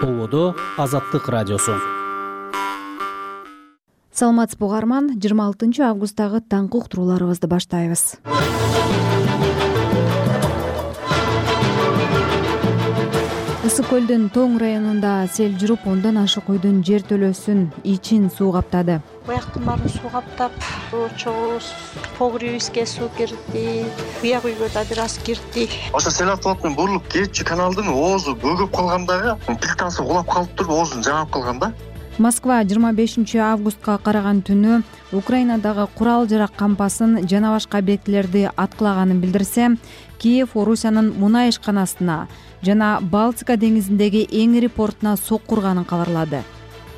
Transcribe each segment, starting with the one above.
Болодо Азаттык радиосу. Саламатсызбы угарман, 26 августтагы таңкы уктурууларыбызды баштайбыз. Ысык көлдүн Тоң районунда сел жүрүп, ондон ашык үйдүн жертөлөсүн ичин суу каптады. Буяктын баарын суу каптап, чогуу погребибизге суу кирди, буяк үйгө да бир аз кирди. Ошо сел автомат бурулуп кетчү каналдын оозу бөгөп калган дагы, плитасы улап калып туруп, оозун жаап калган да. Москва 25 августка караган түнү Украинадагы курал-жарак кампасын жана башка объектилерди аткылаганын билдирсе, Киев Орусиянын мунай ишканасына жана Балтика деңизиндеги эң ири портуна сокку урганын кабарлады.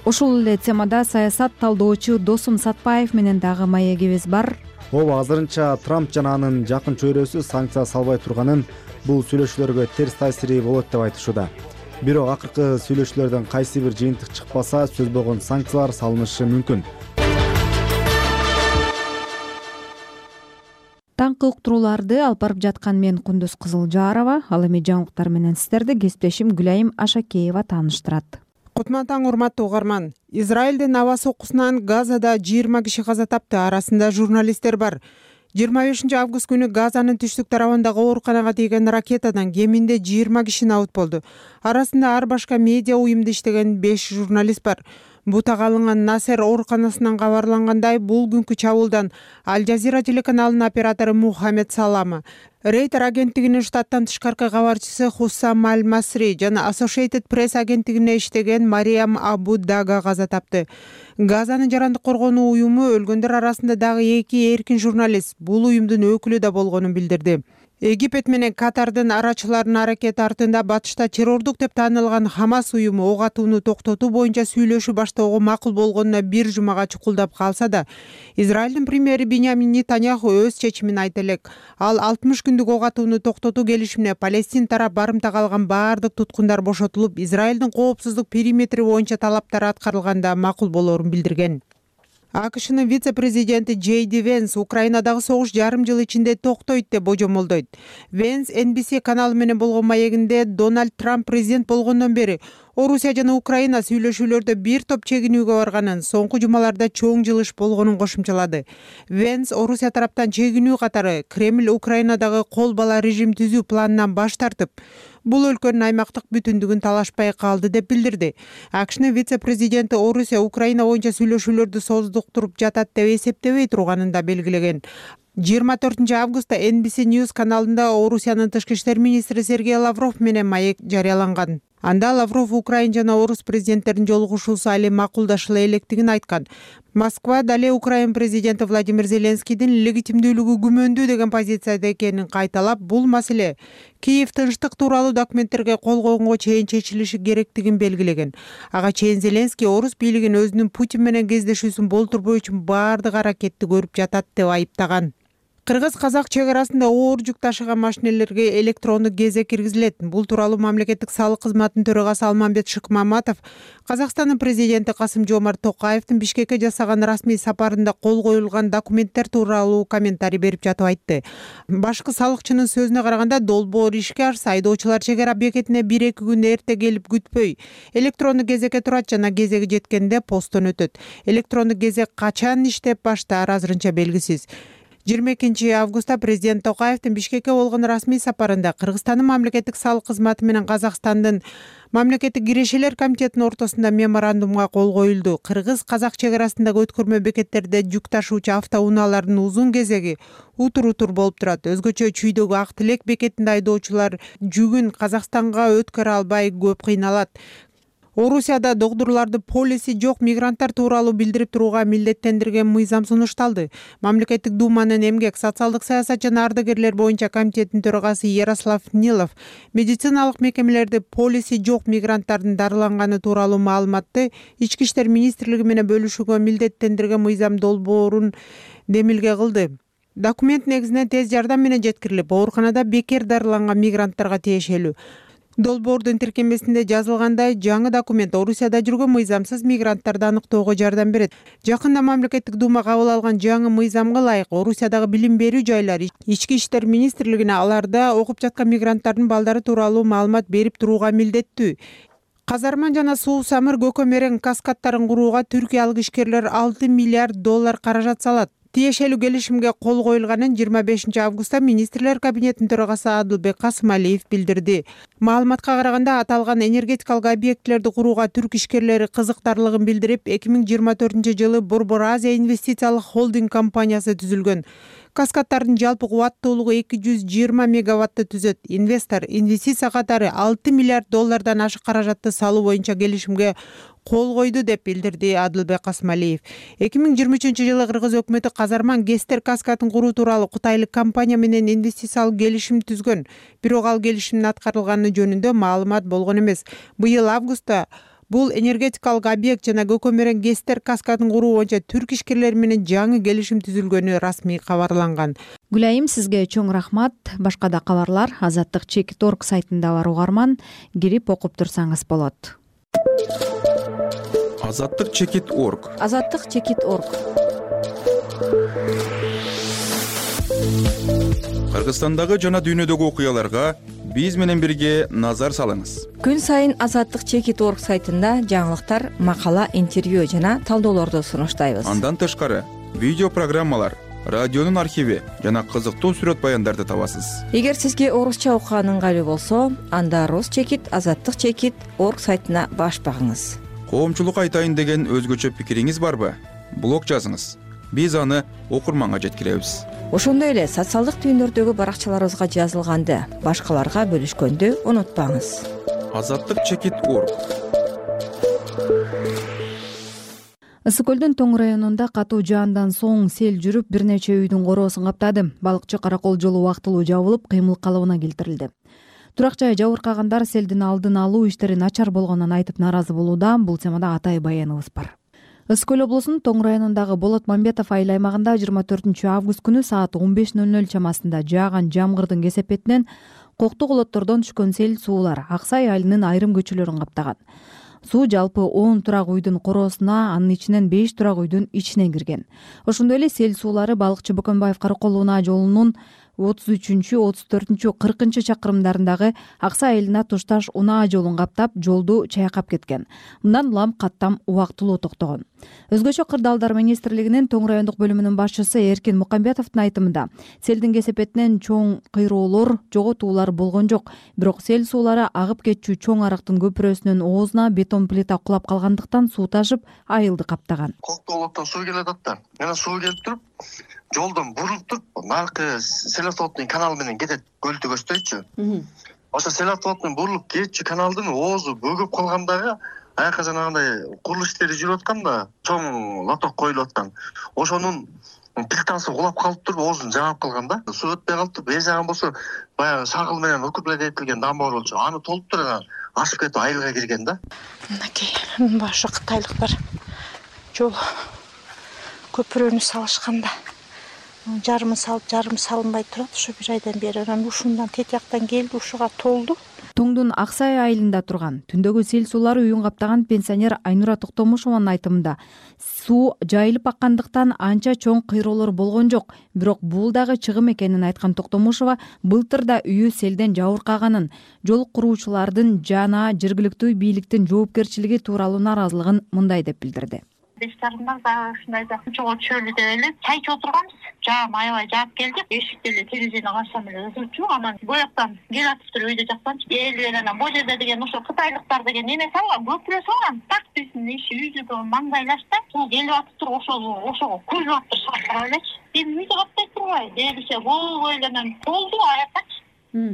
Ушул эле темада саясат талдоочу Досум Сатпаев менен дагы маегибиз бар. Ооба, азырынча Трамп жана анын жакын чөйрөсү санкция салбай турганын, бул сүйлөшүүлөргө терс таасири болот деп айтышууда. Бирок акыркы сүйлөшүүлөрдөн кайсы бир жыйынтык чыкпаса, сөз болгон санкциялар салынышы мүмкүн. Таңкы уктурууларды алып барып жаткан мен Кундуз Кызылжарова, ал эми жаңылыктар менен сиздерди кесиптешим Гүлайым Ашакеева тааныштырат. Кутман таң, урматтуу угарман. Израилдин аба соккусунан Газада 20 киши каза тапты, арасында журналисттер бар. 25 август күнү Газанын түштүк тарабындагы ооруканага тийген ракетадан кеминде 20 киши набыт болду. Арасында ар башка медиа уюмда иштеген 5 журналист бар. Бутага алынган Насер ооруканасынан кабарлангандай, бул күнкү чабуулдан Аль-Жазира телеканалынын оператору Мухаммед Салама, Рейтер агенттигинин штаттан тышкаркы кабарчысы Хуссам Аль-Масри жана Associated Press агенттигине иштеген Мариям Абу Дага каза тапты. Газанын жарандык коргонуу уюму өлгөндөр арасында дагы 2 эркин журналист, бул уюмдун өкүлү да болгонун билдирди. Египет менен Катардын арачыларынын аракети артында батышта террордук деп таанылган Хамас уюму ок атууну токтотуу боюнча сүйлөшүү баштоого макул болгонуна бир жумага чукулдап калса да, Израилдин премьери Биньямин Нетаньяху өз чечимин айта элек. Ал 60 күндүк ок атууну токтотуу келишимине Палестин тарап барымта калган баардык туткундар бошотулуп, Израилдин коопсуздук периметри боюнча талаптары аткарылганда макул болоорун билдирген. АКШнын вице-президенти Джей Ди Венс Украинадагы согуш жарым жыл ичинде токтойт деп божомолдойт. Венс NBC каналы менен болгон маегинде Дональд Трамп президент болгондон бери Орусия жана Украина сүйлөшүүлөрдө бир топ чегинүүгө барганын, соңку жумаларда чоң жылыш болгонун кошумчалады. Венс Орусия тараптан чегинүү катары Кремль Украинадагы кол бала режим түзүү планынан баш тартып, бул өлкөнүн аймактык бүтүндүгүн талашпай калды деп билдирди. АКШнын вице-президенти Орусия Украина боюнча сүйлөшүүлөрдү создуктуруп жатат деп эсептебей турганын да белгилеген. 24 августта NBC News каналында Орусиянын тышкы иштер министри Сергей Лавров менен маек жарыяланган. Анда Лавров Украин жана Орус президенттеринин жолугушуусу али макулдашыла электигин айткан. Москва дале Украин президенти Владимир Зеленскийдин легитимдүүлүгү күмөндүү деген позицияда экенин кайталап, бул маселе Киев тынчтык тууралуу документтерге кол койгонго чейин чечилиши керектигин белгилеген. Ага чейин Зеленский Орус бийлигин өзүнүн Путин менен кездешүүсүн болтурбоо үчүн баардык аракетти көрүп жатат деп айыптаган. Кыргыз-казак чек арасында оор жүк ташыган машинелерге электрондук кезек киргизилет. Бул тууралуу мамлекеттик салык кызматынын төрагасы Алмамбет Шыкмаматов Казакстандын президенти Касым-Жомарт Токаевдин Бишкекке жасаган расмий сапарында кол коюлган документтер тууралуу комментарий берип жатып айтты. Башкы салыкчынын сөзүнө караганда, долбоор ишке ашса, айдоочулар чек ара бекетине 1-2 күн эрте келип күтпөй, электрондук кезекке турат жана кезеги жеткенде посттон өтөт. Электрондук кезек качан иштеп баштаары азырынча белгисиз. 22 августта президент Токаевдин Бишкекке болгон расмий сапарында Кыргызстандын мамлекеттик салык кызматы менен Казакстандын мамлекеттик кирешелер комитетинин ортосунда меморандумга кол коюлду. Кыргыз-казак чек арасындагы өткөрмө бекеттерде жүк ташуучу автоунаалардын узун кезеги утур болуп турат. Өзгөчө Чүйдөгү Ак Тилек бекетинде айдоочулар жүгүн Казакстанга өткөрө албай көп кыйналат. Орусияда догдурларды полиси жок мигранттар тууралуу билдирип турууга милдеттендирген мыйзам сунушталды. Мамлекеттик думанын эмгек, социалдык саясат жана ардагерлер боюнча комитетинин төрагасы Ярослав Нилов медициналык мекемелерде полиси жок мигранттардын дарыланганы тууралуу маалыматты Ички иштер министрлиги менен бөлүшүүгө милдеттендирген мыйзам долбоорун демилге кылды. Документ негизинен тез жардам менен жеткирилип, ооруканада бекер дарыланган мигранттарга тиешелүү. Долбоордун тиркемесинде жазылгандай, жаңы документ Орусияда жүргөн мыйзамсыз мигранттарды аныктоого жардам берет. Жакында мамлекеттик дума кабыл алган жаңы мыйзамга ылайык Орусиядагы билим берүү жайлары Ички иштер министрлигине аларда окуп жаткан мигранттардын балдары тууралуу маалымат берип турууга милдеттүү. Казарман жана Суу Самыр көкөмерең каскадтарын курууга түркиялык ишкерлер $6 миллиард каражат салат. Тиешелүү келишимге кол коюлганын 25 августта министрлер кабинетинин төрагасы Адылбек Касымалиев билдирди. Маалыматка караганда аталган энергетикалык объектилерди курууга түрк ишкерлери кызыктарлыгын билдирип, 2024-жылы Борбор Азия инвестициялык холдинг компаниясы түзүлгөн. Каскадтардын жалпы кубаттуулугу 220 мегаватты түзөт. Инвестор инвестиция катары $6 миллиард ашык каражатты салуу боюнча келишимге кол койду деп билдирди Адылбек Касымалиев. 2023-жылы Кыргыз өкмөтү Казарман Гестер каскадын куруу тууралуу кытайлык компания менен инвестициялык келишим түзгөн. Бирок ал келишимдин аткарылганы жөнүндө маалымат болгон эмес. Быйыл августта бул энергетикалык объект жана көкөмерең Гестер каскадын куруу боюнча түрк ишкерлери менен жаңы келишим түзүлгөнү расмий кабарланган. Гүлайым, сизге чоң рахмат. Башка да кабарлар Азаттык.org сайтында бар, угарман. Кирип окуп турсаңыз болот. Азаттык.org. Азаттык.org. Кыргызстандагы жана дүйнөдөгү окуяларга биз менен бирге назар салыңыз. Күн сайын Азаттык.org сайтында жаңылыктар, макала, интервью жана талдоолорду сунуштайбыз. Андан тышкары видео программалар, радионун архиви жана кызыктуу сүрөт баяндарды табасыз. Эгер сизге орусча окуган ыңгайлуу болсо, анда Азаттык.org сайтына баш багыңыз. Коомчулукка айтайын деген өзгөчө пикириңиз барбы? Блог жазыңыз. Биз аны окурманга жеткиребиз. Ошондой эле социалдык түйүндөрдөгү баракчаларыбызга жазылганды башкаларга бөлүшкөндү унутпаңыз. Азаттык.org. Ысык көлдүн Тоң районунда катуу жаандан соң сел жүрүп, бир нече үйдүн короосун каптады. Балыкчы Каракол жолу убактылуу жабылып, кыймыл калыбына келтирилди. Турак жай жабыркагандар селдин алдын алуу иштери начар болгонун айтып нааразы болууда. Бул темада атайын баяныбыз бар. Ысык көл облусунун Тоң районундагы Болот Мамбетов айыл аймагында 24 август күнү саат 15:00 чамасында жааган жамгырдын кесепетинен кокту колоттордон түшкөн сел суулар Аксай айылынын айрым көчөлөрүн каптаган. Суу жалпы 10 турак үйдүн короосуна, анын ичинен 5 турак үйдүн ичине кирген. Ошондой эле сел суулары Балыкчы Бөкөнбаев Каракол унаа жолунун 33, 34, 40 чакырымдарындагы Аксай айылына тушташ унаа жолун каптап, жолду чайкап кеткен. Мындан улам каттам убактылуу токтогон. Өзгөчө кырдаалдар министрлигинин Тоң райондук бөлүмүнүн башчысы Эркин Мукамбетовдун айтымында, селдин кесепетинен чоң кыйроолор, жоготуулар болгон жок. Бирок сел суулары агып кетчү чоң арыктын көпүрөсүнүн оозуна бетон плита кулап калгандыктан суу ташып, айылды каптаган. Коктолоттон суу келет да. Мына суу келип туруп, жолдон бурулуп туруп, наркы селатоводдун каналы менен кетет, көлдү көздөйчү. Ошо селатоводдун бурулуп кетчү каналдын оозу бөгөп калгандагы аяка жанагындай курулуш иштери жүрүп аткан да, чоң лоток коюлуп аткан. Ошонун плитасы кулап калып туруп, оозун жаап калган да. Суу өтпөй калып туруп, жаган болсо баягы шагыл менен укуплетилген дамба болчу. Аны толуп туруп ашып кетип айылга кирген да. Мынакей башы кытайлыктар жол көпүрөнү салышканда жарымы салып, жарымы салынбай турат. Ошо бир айдан бери анан ушундан тетияктан келди, ушуга толду. Тоңдун Аксай айылында турган түндөгү сел суулары үйүн каптаган пенсионер Айнура Токтомушованын айтымында, суу жайылып аккандыктан анча чоң кыйроолор болгон жок. Бирок бул дагы чыгым экенин айткан Токтомушова былтыр да үйү селден жабыркаганын, жол куруучулардын жана жергиликтүү бийликтин жоопкерчилиги тууралуу нааразылыгын мындай деп билдирди. Бештарында дагы ушундайда чогуу чөлүдө эле чай ичип отурганбыз. Жаам аябай жаап келди. Эшикти эле терезени ачсам эле ызычу, анан бояктан келатыптыр үйдө жактанчы. Элдер анан бул жерде деген ошо кытайлыктар деген эме салган, көпүрө салган. Так биздин иши үйдү маңдайлашта. Суу келип атыптыр, ошого көзүп атыптыр шартырап элечи. Эми үйдү каптай турбай, дегише болбой эле анан толду аякачы.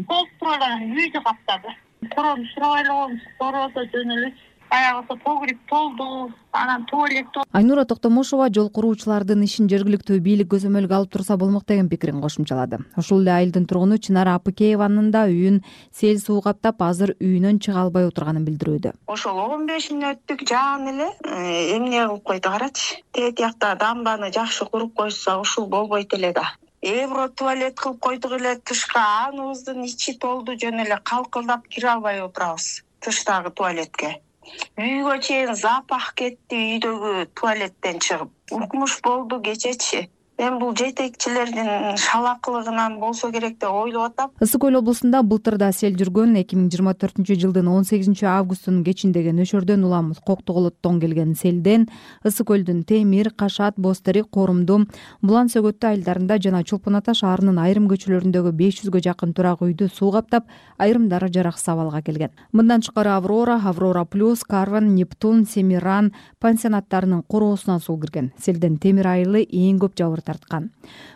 Толуп туруп эле үйдү каптады. Короону сурабай эле коебуз, короодо жөн эле. Аягысы погреб толду, анан туалет толду. Айнура Токтомушова жол куруучулардын ишин жергиликтүү бийлик көзөмөлгө алып турса болмок деген пикирин кошумчалады. Ошол эле айылдын тургуну Чынара Апыкееванын да үйүн сел суу каптап, азыр үйүнөн чыга албай отурганын билдирүүдө. Ошол 15 мүнөттүк жаан эле эмне кылып койду карачы. Тетиякта дамбаны жакшы куруп койсо ушул болбойт эле да. Евро туалет кылып койдук эле тышка, аныбыздын ичи толду, жөн эле калкылдап кире албай отурабыз тыштагы туалетке. Үйгө чейин запах кетти үйдөгү туалеттен чыгып. Укмуш болду кечечи. Мен бул жетекчилердин шалакылыгынан болсо керек деп ойлоп атам. Ысык көл облусунда былтыр да сел жүргөн. 2024-жылдын 18-августунун кечинде нөшөрдөн улам Коктоголоттон келген селден Ысык көлдүн Темир, Кашат, Бозтерек, Корумду, Булан Сөгөттү айылдарында жана Чолпон Ата шаарынын айрым көчөлөрүндөгү 500гө жакын турак үйдү суу каптап, айрымдары жараксыз абалга келген. Мындан тышкары Аврора Плюс, Карван, Нептун, Семиран пансионаттарынын короосуна суу кирген. Селден Темир айылы эң көп жабыр тарткан.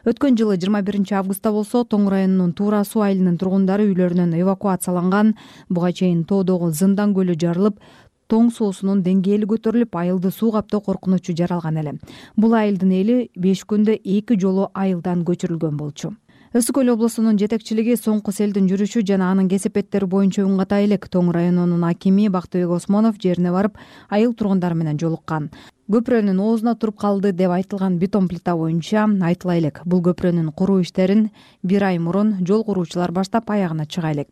Өткөн жылы 21-августта болсо Тоң районунун Туура суу айылынын тургундары үйлөрүнөн эвакуацияланган. Буга чейин тоодогу Зындан көлү жарылып, Тоң суусунун деңгээли көтөрүлүп, айылды суу каптоо коркунучу жаралган эле. Бул айылдын эли 5 күндө 2 жолу айылдан көчүрүлгөн болчу. Ысык көл облусунун жетекчилиги соңку селдин жүрүшү жана анын кесепеттери боюнча үн ката элек. Тоң районунун акими Бактыбек Осмонов жерине барып, айыл тургундары менен жолуккан. Көпүрөнүн оозуна туруп калды деп айтылган бетон плита боюнча айтыла элек. Бул көпүрөнүн куруу иштерин 1 ай мурун жол куруучулар баштап аягына чыга элек.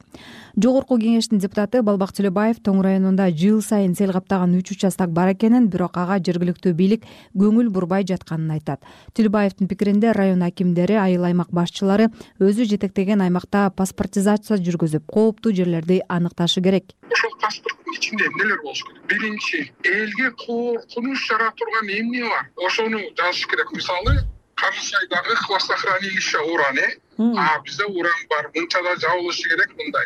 Жогорку кеңештин депутаты Балбак Төлөбаев Тоң районунда жыл сайын сел каптаган 3 участок бар экенин, бирок ага жергиликтүү бийлик көңүл бурбай жатканын айтат. Төлөбаевдин пикиринде район акимдери, айыл аймак башчылары өзү жетектеген аймакта паспортизация жүргүзүп, кооптуу жерлерди аныкташы керек. Ошол паспорттун ичинде эмнелер болуш керек? Биринчи, элге коркунуч жара турган эмне бар? Ошону жазыш керек. Мисалы, Карысайдагы хвостохранилище уран, бизде уран бар, мынчада жабылышы керек мындай.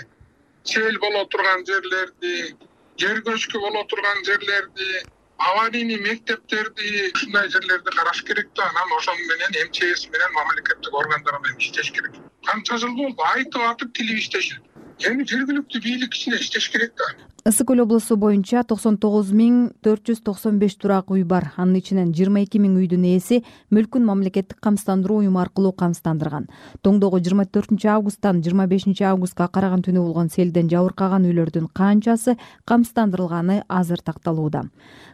Сел боло турган жерлерди, жер көчкү боло турган жерлерди, аварийный мектептерди, ушундай жерлерди караш керек да. Анан ошону менен МЧС менен мамлекеттик органдар менен иштеш керек. Канча жыл болду, айтып атып тилип иштешет. Эми жергиликтүү бийлик ичинде иштеш керек да. Ысык көл облусу боюнча 99.495 турак үй бар. Анын ичинен 22.000 үйдүн ээси мүлкүн мамлекеттик камсыздандыруу уюму аркылуу камсыздандырган. Тоңдогу 24-августтан 25-августка караган түнү болгон селден жабыркаган үйлөрдүн канчасы камсыздандырылганы азыр такталууда.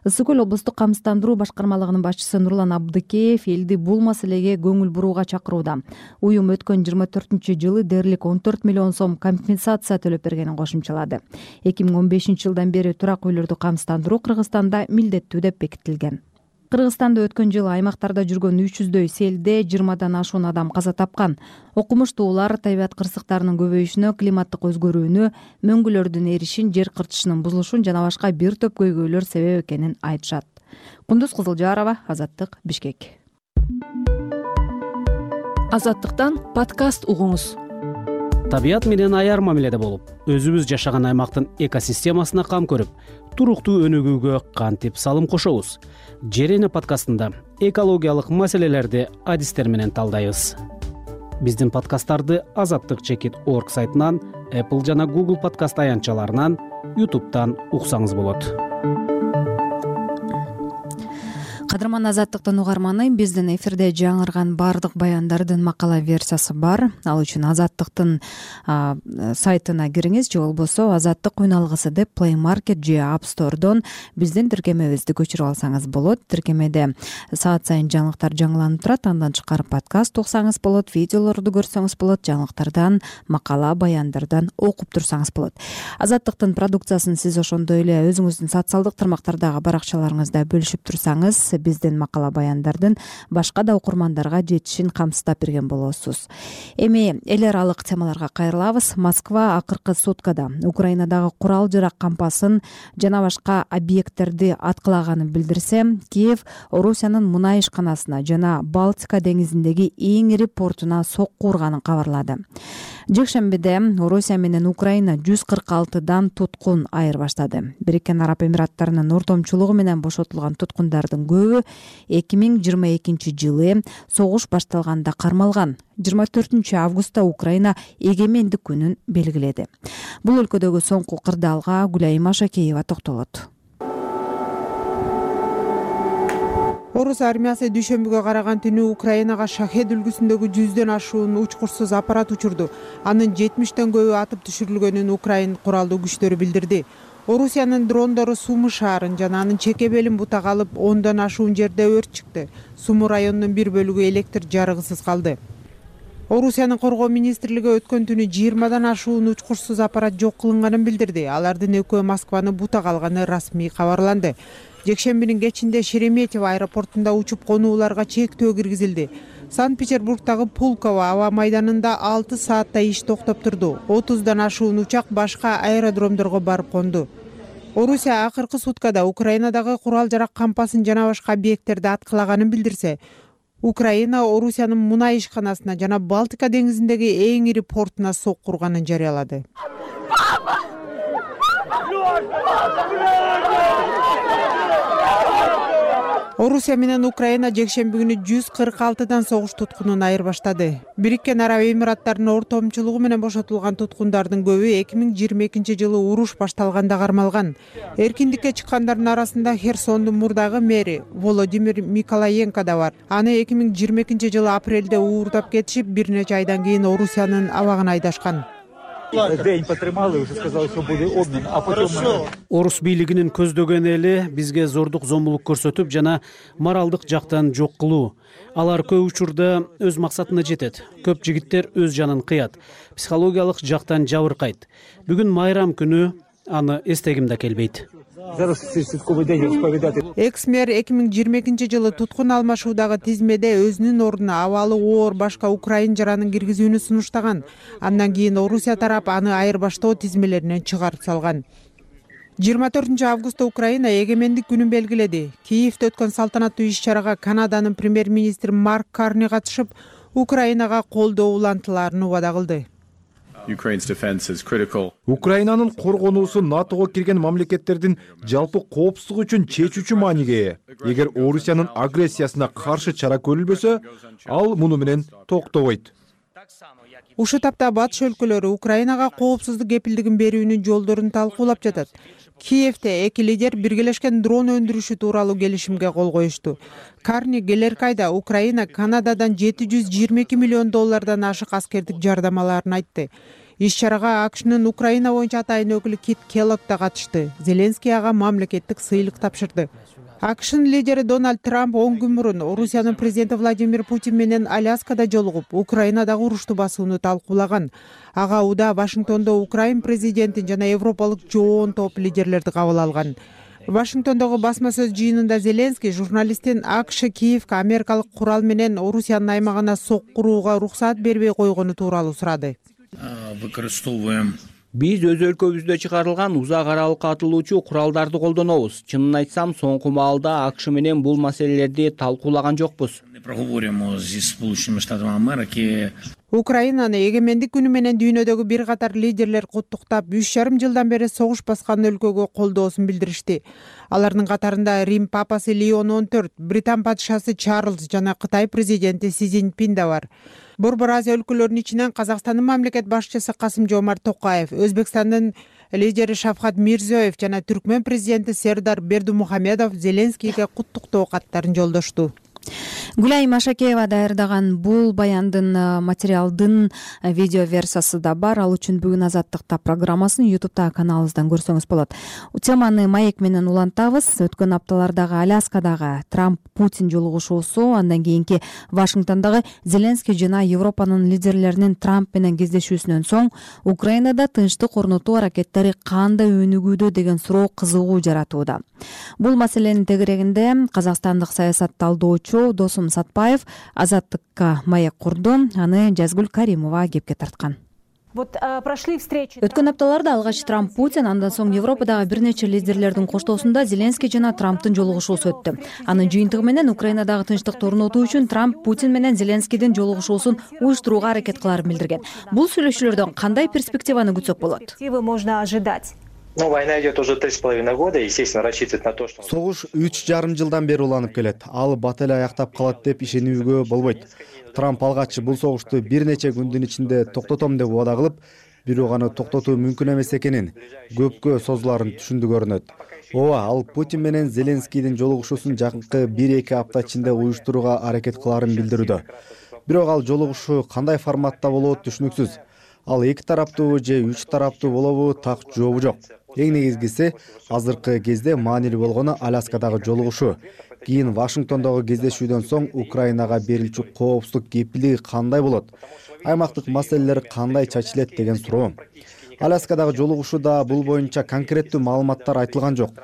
Ысык көл облустук камсыздандыруу башкармалыгынын башчысы Нурлан Абдыкеев элди бул маселеге көңүл бурууга чакырууда. Уюм өткөн 24-жылы дээрлик 14 миллион сом компенсация төлөп бергенин кошумчалады. 2015-жылдан бери турак үйлөрдү камсыздандыруу Кыргызстанда милдеттүү деп бекитилген. Кыргызстанда өткөн жылы аймактарда жүргөн 300дөй селде 20дан ашуун адам каза тапкан. Окумуштуулар табият кырсыктарынын көбөйүшүнө, климаттык өзгөрүүнү, мөңгүлөрдүн эришин, жер кыртышынын бузулушун жана башка бир топ көйгөйлөр себеп экенин айтышат. Кундуз Кызылжарова, Азаттык, Бишкек. Азаттыктан подкаст угуңуз. Табият менен аяр мамиледе болуп, өзүбүз жашаган аймактын экосистемасына кам көрүп, туруктуу өнүгүүгө кантип салым кошобуз? Жерене подкастында экологиялык маселелерди адистер менен талдайбыз. Биздин подкасттарды azattik.org сайтынан, Apple жана Google подкаст аянтчаларынан, YouTube'дан уксаңыз болот. Кадырман Азаттыктын угарманы, биздин эфирде жаңырган бардык баяндардын макала версиясы бар. Ал үчүн Азаттыктын сайтына кириңиз же болбосо Азаттык уйналгысы деп Play Market же App Store'дон биздин тиркемебизди көчүрүп алсаңыз болот. Тиркемеде саат сайын жаңылыктар жаңыланып турат. Андан тышкары подкаст уксаңыз болот, видеолорду көрсөңүз болот, жаңылыктардан, макала, баяндардан окуп турсаңыз болот. Азаттыктын продукциясын сиз ошондой эле өзүңүздүн социалдык тармактардагы баракчаларыңызда бөлүшүп турсаңыз, биздин макала баяндардын башка да окурмандарга жетишин камсыздап берген болосуз. Эми эл аралык темаларга кайрылабыз. Москва акыркы суткада Украинадагы курал жарак кампасын жана башка объекттерди аткылаганын билдирсе, Киев Орусиянын мунай ишканасына жана Балтика деңизиндеги эң ири портуна сокку урганын кабарлады. Жекшембиде Орусия менен Украина 146дан туткун айыр баштады. Бириккен Араб Эмираттарынын ортомчулугу менен бошотулган туткундардын көбү 2022-жылы согуш башталганда кармалган. 24-августта Украина эгемендик күнүн белгиледи. Бул өлкөдөгү соңку кырдаалга Гүлайым Машакеева токтолот. Орус армиясы дүйшөмбүгө караган түнү Украинага Шахед үлгүсүндөгү 100дөн ашуун учкурсуз аппарат учурду. Анын 70тен көбү атып түшүрүлгөнүн Украин куралдуу күчтөрү билдирди. Орусиянын дрондору Сумы шаарын жана анын чеке белин бутак алып, 10дон ашуун жерде өрт чыкты. Сумы районунун бир бөлүгү электр жарыгысыз калды. Орусиянын коргоо министрлиги өткөн түнү 20дан ашуун учкурсуз аппарат жок кылынганын билдирди. Алардын экөө Москваны бутак алганы расмий кабарланды. Жекшембинин кечинде Шереметьево аэропортунда учуп конууларга чектөө киргизилди. Санкт-Петербургдагы Пулково аба майданында 6 саатта иш токтоп турду. 30дан ашуун учак башка аэродромдорго барып конду. Орусия акыркы суткада Украинадагы курал жарак кампасын жана башка объекттерди аткылаганын билдирсе, Украина Орусиянын мунай ишканасына жана Балтика деңизиндеги эң ири портуна сокку урганын жарыялады. Орусия менен Украина жекшемби күнү 146дан согуш туткунун айырбаштады. Бириккен Араб Эмираттарынын ортомчулугу менен бошотулган туткундардын көбү 2022-жылы уруш башталганда кармалган. Эркиндикке чыккандардын арасында Херсондун мурдагы мэри Володимир Миколаенко да бар. Аны 2022-жылы апрелде уурдап кетишип, бир нече айдан кийин Орусиянын абагына айдашкан. День потримали, уже сказали, что будет обмен, а потом... Орус бийлигинин көздөгөн эли бизге зордук зомбулук көрсөтүп жана моралдык жактан жок кылуу. Алар көп учурда өз максатына жетет. Көп жигиттер өз жанын кыят, психологиялык жактан жабыркайт. Бүгүн майрам күнү аны эстегим да келбейт. Экс-мэр 2022-жылы туткун алмашуудагы тизмеде өзүнүн ордуна абалы оор башка украин жаранын киргизүүнү сунуштаган. Андан кийин Орусия тарап аны айырбаштоо тизмелеринен чыгарып салган. 24-августта Украина эгемендик күнүн белгиледи. Киевде өткөн салтанаттуу иш-чарага Канаданын премьер-министри Марк Карни катышып, Украинага колдоо улантыларын убада кылды. Украинанын коргонуусу НАТОго кирген мамлекеттердин жалпы коопсуздугу үчүн чечүүчү мааниге ээ. Эгер Орусиянын агрессиясына каршы чара көрүлбөсө, ал муну менен токтобойт. Ушул тапта батыш өлкөлөрү Украинага коопсуздук кепилдигин берүүнүн жолдорун талкуулап жатат. Киевде эки лидер биргелешкен дрон өндүрүшү тууралуу келишимге кол коюшту. Карни келерки айда Украина Канададан $722 миллион ашык аскердик жардам алаарын айтты. Иш-чарага АКШнын Украина боюнча атайын өкүлү Кит Келлог да катышты. Зеленский ага мамлекеттик сыйлык тапшырды. АКШнын лидери Дональд Трамп 10 күн мурун Орусиянын президенти Владимир Путин менен Аляскада жолугуп, Украинадагы урушту басууну талкуулаган. Ага уда Вашингтондо Украин президентин жана европалык жоон топ лидерлерди кабыл алган. Вашингтондогу басма сөз жыйынында Зеленский журналисттин АКШ Киевге америкалык курал менен Орусиянын аймагына соккурууга уруксаат бербей койгону тууралуу сурады. Биз өз өлкөбүздө чыгарылган узак аралыкка атылуучу куралдарды колдонобуз. Чынын айтсам, соңку маалда АКШ менен бул маселелерди талкуулаган жокпуз. Украинаны эгемендик күнү менен дүйнөдөгү бир катар лидерлер куттуктап, 3,5 жылдан бери согуш баскан өлкөгө колдоосун билдиришти. Алардын катарында Рим папасы Леон 14, Британ падышасы Чарльз жана Кытай президенти Си Цзиньпин да бар. Борбор Азия өлкөлөрүнүн ичинен Казакстандын мамлекет башчысы Касым-Жомарт Токаев, Өзбекстандын лидери Шавкат Мирзиёев жана Түркмөн президенти Сердар Бердимухамедов Зеленскийге куттуктоо каттарын жолдошту. Гүлай Машакеева даярдаган бул баяндын материалдын видео версиясы да бар. Ал үчүн бүгүн Азаттыкта программасын YouTube'да каналыбыздан көрсөңүз болот. Теманы маек менен улантабыз. Өткөн апталардагы Аляскадагы Трамп Путин жолугушуусу, андан кийинки Вашингтондогу Зеленский жана Европанын лидерлеринин Трамп менен кездешүүсүнөн соң Украинада тынчтык орнотуу аракеттери кандай өнүгүүдө деген суроо кызыгуу жаратууда. Бул маселенин тегерегинде казакстандык саясат талдоочу Досум Сатпаев Азаттыкка маек курду. Аны Жазгүл Каримова кепке тарткан. Өткөн апталарда алгач Трамп Путин, андан соң Европадагы бир нече лидерлердин коштоосунда Зеленский жана Трамптын жолугушуусу өттү. Анын жыйынтыгы менен Украинадагы тынчтыкты орнотуу үчүн Трамп Путин менен Зеленскийдин жолугушуусун уюштурууга аракет кыларын билдирген. Бул сүйлөшүүлөрдөн кандай перспективаны күтсөк болот? Война идет уже 3,5 года, естественно, рассчитывать на то, что... Согуш 3,5 жылдан бери уланып келет. Ал бат эле аяктап калат деп ишенүүгө болбойт. Трамп алгач бул согушту бир нече күндүн ичинде токтотом деп убада кылып, бирок аны токтотуу мүмкүн эмес экенин, көпкө созуларын түшүндү көрүнөт. Ооба, ал Путин менен Зеленскийдин жолугушуусун жакынкы 1-2 апта ичинде уюштурууга аракет кыларын билдирүүдө. Бирок ал жолугушуу кандай форматта болот түшүнүксүз. Ал эки тараптуу же 3 тараптуу болобу, так жообу жок. Эң негизгиси азыркы кезде маанилүү болгону Аляскадагы жолугушуу. Кийин Вашингтондогу кездешүүдөн соң Украинага берилчү коопсуздук кепилдиги кандай болот? Аймактык маселелер кандай чачылет деген суроо. Аляскадагы жолугушууда бул боюнча конкреттүү маалыматтар айтылган жок.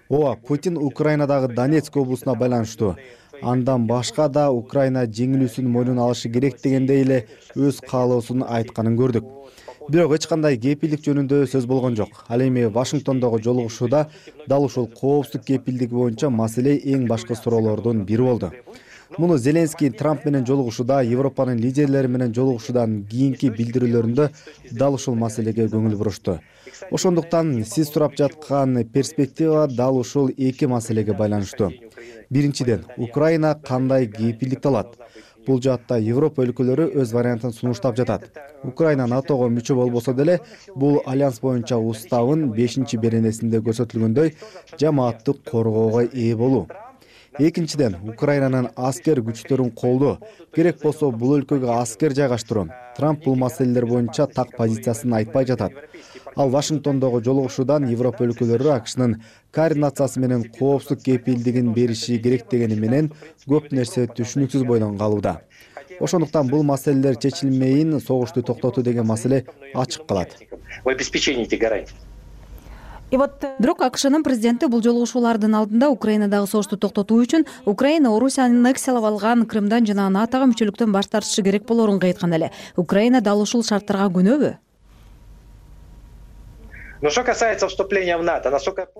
Ооба, Путин Украинадагы Донецк облусуна байланыштуу. андан башка да Украина жеңилүүсүн мойнуна алышы керек дегендей эле өз каалоосун айтканын көрдүк. Бирок эч кандай кепилдик жөнүндө сөз болгон жок. Ал эми Вашингтондогу жолугушууда дал ушул коопсуздук кепилдиги боюнча маселе эң башкы суроолордун бири болду. Муну Зеленский Трамп менен жолугушууда, Европанын лидерлери менен жолугушуудан кийинки билдирүүлөрүндө дал ушул маселеге көңүл бурушту. Ошондуктан сиз сурап жаткан перспектива дал ушул эки маселеге байланыштуу. Биринчиден, Украина кандай кепилдикти алат? Бул жаатта Европа өлкөлөрү өз вариантын сунуштап жатат. Украина НАТОго мүчө болбосо деле, бул альянс боюнча уставын 5-беренесинде көрсөтүлгөндөй жамааттык коргоого ээ болуу. Экинчиден, Украинанын аскер күчтөрүн колдоо, керек болсо бул өлкөгө аскер жайгаштыруу. Трамп бул маселелер боюнча так позициясын айтпай жатат. Ал Вашингтондогу жолугушуудан Европа өлкөлөрү АКШнын координациясы менен коопсуздук кепилдигин бериши керек дегени менен көп нерсе түшүнүксүз бойдон калууда. Ошондуктан бул маселелер чечилмейин согушту токтотуу деген маселе ачык калат. Бирок АКШнын президенти бул жолугушуулардын алдында Украинадагы согушту токтотуу үчүн Украина Орусияны аннексиялап алган Крымдан жана НАТОго мүчөлүктөн баш тартышы керек болоорун айткан эле. Украина дал ушул шарттарга көнөбү?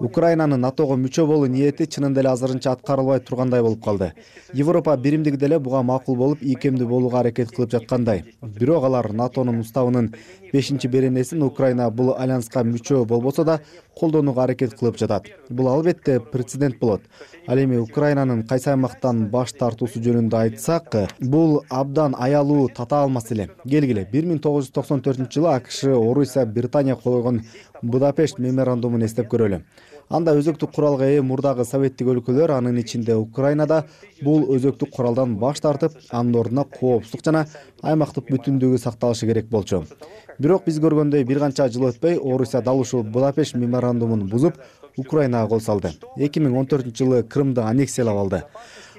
Украинанын НАТОго мүчө болуу ниети чынында эле азырынча аткарылбай тургандай болуп калды. Европа биримдиги деле буга макул болуп, ийкемдүү болууга аракет кылып жаткандай. Бирок алар НАТОнун уставынын 5-беренесин Украина бул альянска мүчө болбосо да колдонууга аракет кылып жатат. Бул албетте прецедент болот. Ал эми Украинанын кайсы аймактан баш тартуусу жөнүндө айтсак, бул абдан аялуу татаал маселе. Келгиле, 1994-жылы АКШ Орусия Британия кол койгон Будапешт меморандумун эстеп көрөлү. Анда өзөктүк куралга ээ мурдагы советтик өлкөлөр, анын ичинде Украинада бул өзөктүк куралдан баш тартып, анын ордуна коопсуздук жана аймактык бүтүндүгү сакталышы керек болчу. Бирок биз көргөндөй бир канча жыл өтпөй Орусия дал ушул Будапешт меморандумун бузуп, Украинага кол салды. 2014-жылы Крымды аннексиялап алды.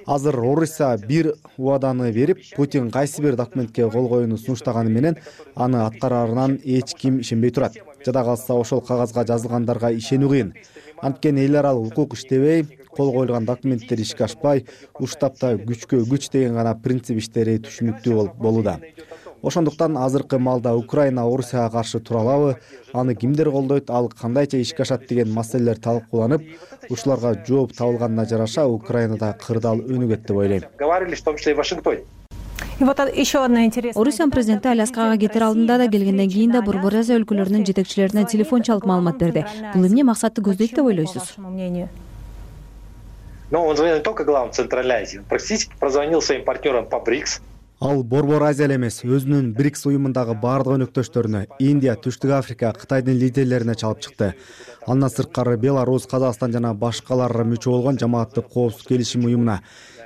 Азыр Орусия бир убаданы берип, Путин кайсы бир документке кол коюуну сунуштаганы менен аны аткарарынан эч ким ишенбей турат. Жада калса ошол кагазга жазылгандарга ишенүү кыйын. Анткени эл аралык укук иштебей, кол коюлган документтер ишке ашпай, уштапта күчкө күч деген гана принцип иштери түшүнүктүү болууда. Ошондуктан азыркы маалда Украина Орусияга каршы тура алабы, аны кимдер колдойт, ал кандайча ишке ашат деген маселелер талкууланып, ушуларга жооп табылганына жараша Украинада кырдаал өнүгөт деп ойлойм. Говорили, в том числе и в Вашингтоне. Орусиянын президенти Аляскага кетер алдында да, келгенден кийин да Борбор Азия өлкөлөрүнүн жетекчилерине телефон чалып маалымат берди. Бул эмне максатты көздөйт деп ойлойсуз? Но он звонил не только главам Центральной Азии, он практически прозвонил своим партнерам по БРИКС. Ал Борбор Азия эле эмес, өзүнүн БРИКС уюмундагы бардык өнөктөштөрүнө, Индия, Түштүк Африка, Кытайдын лидерлерине чалып чыкты. Андан сырткары Беларусь, Казакстан жана башкалар мүчө болгон жамааттык коопсуздук келишим уюмуна,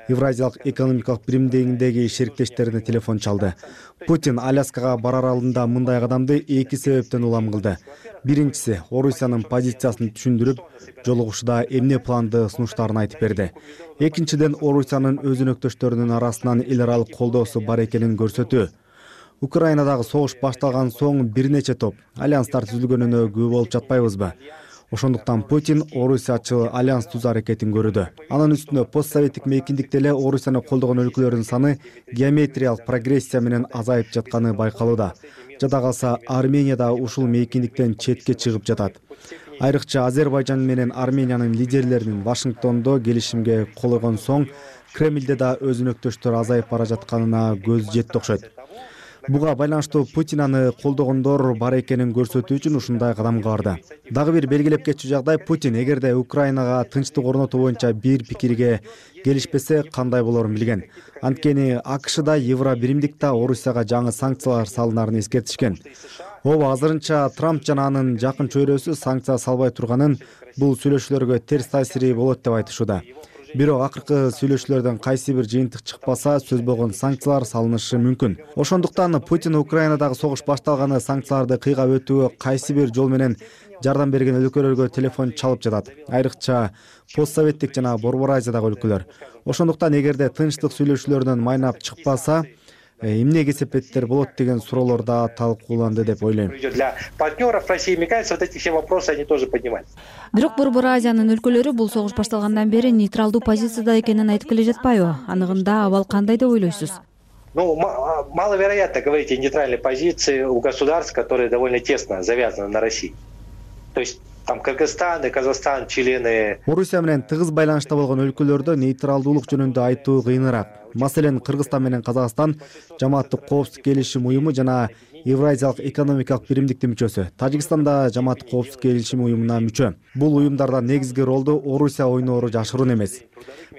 Евразиялык экономикалык биримдигиндеги шериктерине телефон чалды. Путин Аляскага барар алдында мындай кадамды эки себептен улам кылды. Биринчиси, Орусиянын позициясын түшүндүрүп, жолугушууда эмне планды сунуштарын айтып берди. Экинчиден, Орусиянын өз өнөктөштөрүнүн арасынан эл аралык колдоосу бар экенин көрсөтүү. Украинадагы согуш башталган соң бир нече топ альянстар түзүлгөнүнө күбө болуп жатпайбызбы? Ошондуктан Путин Орусиячыл альянс түзүү аракетин көрүүдө. Анын үстүнө постсоветтик мейкиндикте эле Орусияны колдогон өлкөлөрдүн саны геометриялык прогрессия менен азайып жатканы байкалууда. Жада калса Армения да ушул мейкиндиктен четке чыгып жатат. Айрыкча Азербайжан менен Армениянын лидерлеринин Вашингтондо келишимге кол койгон соң Кремлде да өз өнөктөштөр азайып бара жатканына көз жетти окшойт. Буга байланыштуу Путин аны колдогондор бар экенин көрсөтүү үчүн ушундай кадамга барды. Дагы бир белгилеп кетчү жагдай, Путин эгерде Украинага тынчтык орнотуу боюнча бир пикирге келишпесе кандай болорун билген. Анткени АКШда Евро биримдикте Орусияга жаңы санкциялар салынарын эскертишкен. Ооба, азырынча Трамп жана анын жакын чөйрөсү санкция салбай турганын бул сүйлөшүүлөргө терс таасири болот деп айтышууда. Бирок акыркы сүйлөшүүлөрдөн кайсы бир жыйынтык чыкпаса, сөз болгон санкциялар салынышы мүмкүн. Ошондуктан Путин Украинадагы согуш башталганы санкцияларды кыйгап өтүүгө кайсы бир жол менен жардам берген өлкөлөргө телефон чалып жатат. Айрыкча постсоветтик жана Борбор Азиядагы өлкөлөр. Ошондуктан эгерде тынчтык сүйлөшүүлөрдөн майнап чыкпаса, эмне кесепеттер болот деген суроолор да талкууланды деп ойлойм. Для партнеров России, мне кажется, вот эти все вопросы они тоже поднимаются. Бирок Борбор Азиянын өлкөлөрү бул согуш башталгандан бери нейтралдуу позицияда экенин айтып келе жатпайбы? Аныгында абал кандай деп ойлойсуз? Ну, маловероятно говорить о нейтральной позиции у государств, которые довольно тесно завязаны на России. То есть там Кыргызстан и Казахстан члены. Орусия менен тыгыз байланышта болгон өлкөлөрдө нейтралдуулук жөнүндө айтуу кыйыныраак. Маселен, Кыргызстан менен Казакстан Жамааттык коопсуздук келишим уюму жана Евразиялык экономикалык биримдиктин мүчөсү. Тажикстан да Жамааттык коопсуздук келишим уюмуна мүчө. Бул уюмдарда негизги ролду Орусия ойноору жашыруун эмес.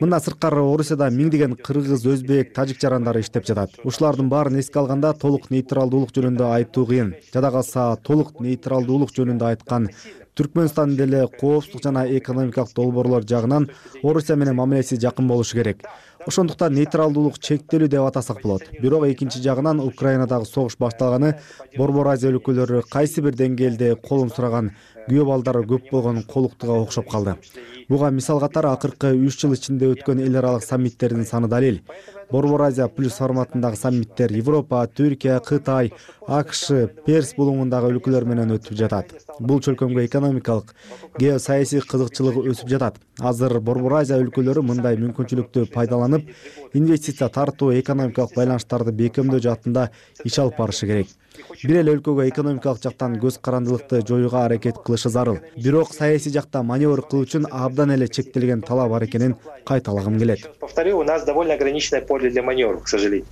Мындан сырткары Орусияда миңдеген кыргыз, өзбек, тажик жарандары иштеп жатат. Ушулардын баарын эске алганда толук нейтралдуулук жөнүндө айтуу кыйын. Жада калса, толук нейтралдуулук жөнүндө айткан Түркмөнстан деле коопсуздук жана экономикалык долбоорлор жагынан Орусия менен мамилеси жакын болушу керек. Ошондуктан нейтралдуулук чектелүү деп атасак болот. Бирок экинчи жагынан Украинадагы согуш башталганы Борбор Азия өлкөлөрү кайсы бир деңгээлде колун сураган күйөө балдары көп болгон колуктуга окшоп калды. Буга мисал катары акыркы 3 жыл ичинде өткөн эл аралык саммиттердин саны далил. Борбор Азия плюс форматындагы саммиттер Европа, Түркия, Кытай, АКШ, Перс булуңундагы өлкөлөр менен өтүп жатат. Бул чөлкөмгө экономикалык, геосаясий кызыкчылыгы өсүп жатат. Азыр Борбор Азия өлкөлөрү мындай мүмкүнчүлүктү пайдаланып, инвестиция тартуу, экономикалык байланыштарды бекемдөө жаатында иш алып барышы керек. Бир эле өлкөгө экономикалык жактан көз карандылыкты жоюуга аракет кылышы зарыл. Бирок саясий жакта маневр кылуу үчүн абдан эле чектелген талап бар экенин кайталагым келет. Повторю, у нас довольно ограниченное поле для маневров, к сожалению.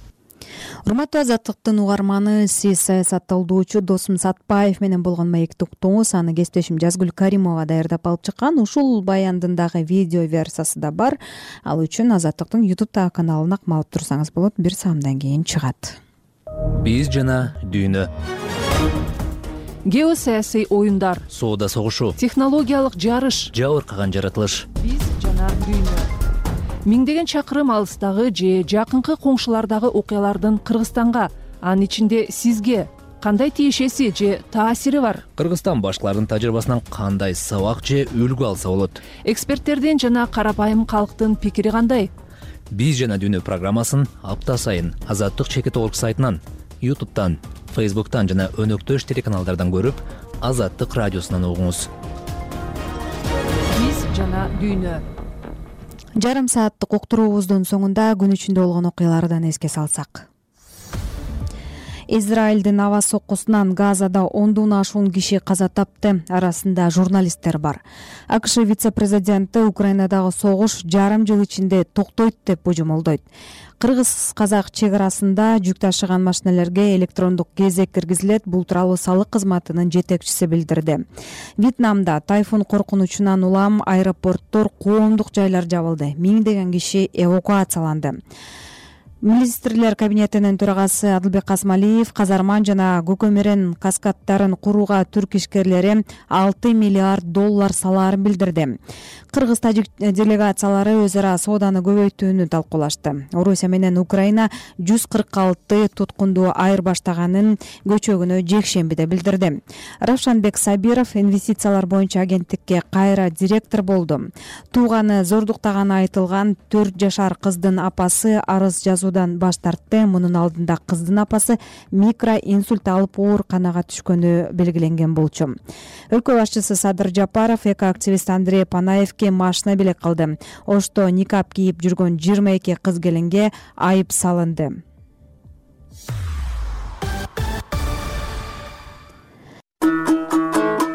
Урматтуу Азаттыктын угарманы, сиз саясатталдоочу Досум Сатпаев менен болгон маектик уктуңуз. Аны кесиптешим Жазгүл Каримова даярдап алып чыккан. Ушул баяндын дагы видео версиясы да бар. Ал үчүн Азаттыктын YouTube каналына алып турсаңыз болот. Бир саамдан кийин чыгат. Биз жана дүйнө. Геосаясий оюндар, соода согушу, технологиялык жарыш, жабыркаган жаратылыш. Биз жана дүйнө. Миңдеген чакырым алыстагы же жакынкы коңшулардагы окуялардын Кыргызстанга, анын ичинде сизге кандай тиешеси же таасири бар? Кыргызстан башкалардын тажрыйбасынан кандай сабак же үлгү алса болот? Эксперттердин жана карапайым калктын пикири кандай? Биз жана дүйнө программасын апта сайын Азаттык чекит орг сайтынан, YouTube'дан, Facebook'tan жана өнөктөш телеканалдардан көрүп, Азаттык радиосунан угуңуз. Биз жана дүйнө. Жарым сааттык уктуруубуздун соңунда күн ичинде болгон окуялардан эске салсак. Израилдин аба соккусунан Газада 10дон ашуун киши каза тапты. Арасында журналисттер бар. АКШ вице-президенти Украинадагы согуш жарым жыл ичинде токтойт деп божомолдойт. Кыргыз-казак чек арасында жүк ташыган машиналерге электрондук кезек киргизилет. Бул тууралуу салык кызматынын жетекчиси билдирди. Вьетнамда тайфун коркунучунан улам аэропорттор, коомдук жайлар жабылды. Миңдеген киши эвакуацияланды. Министрлер кабинетинин төрагасы Адылбек Касмалиев казарман жана көкөмөрөн каскаддарын курууга түрк ишкерлери $6 миллиард салаарын билдирди. Кыргыз-тажик делегациялары өз ара сооданы көбөйтүүнү талкуулашты. Орусия менен Украина 146 туткунду айырбаштаганын көчөгүнө жекшембиде билдирди. Равшанбек Сабиров инвестициялар боюнча агенттикке кайра директор болду. Тууганы зордуктаганы айтылган 4 жашар кыздын апасы арыз жазуудан баш тартты. Мунун алдында кыздын апасы микроинсульт алып ооруканага түшкөнү белгиленген болчу. Өлкө башчысы Садыр Жапаров экоактивист Андрей Панаевке машина белек кылды. Ошто никап кийип жүргөн 22 кыз келинге айып салынды.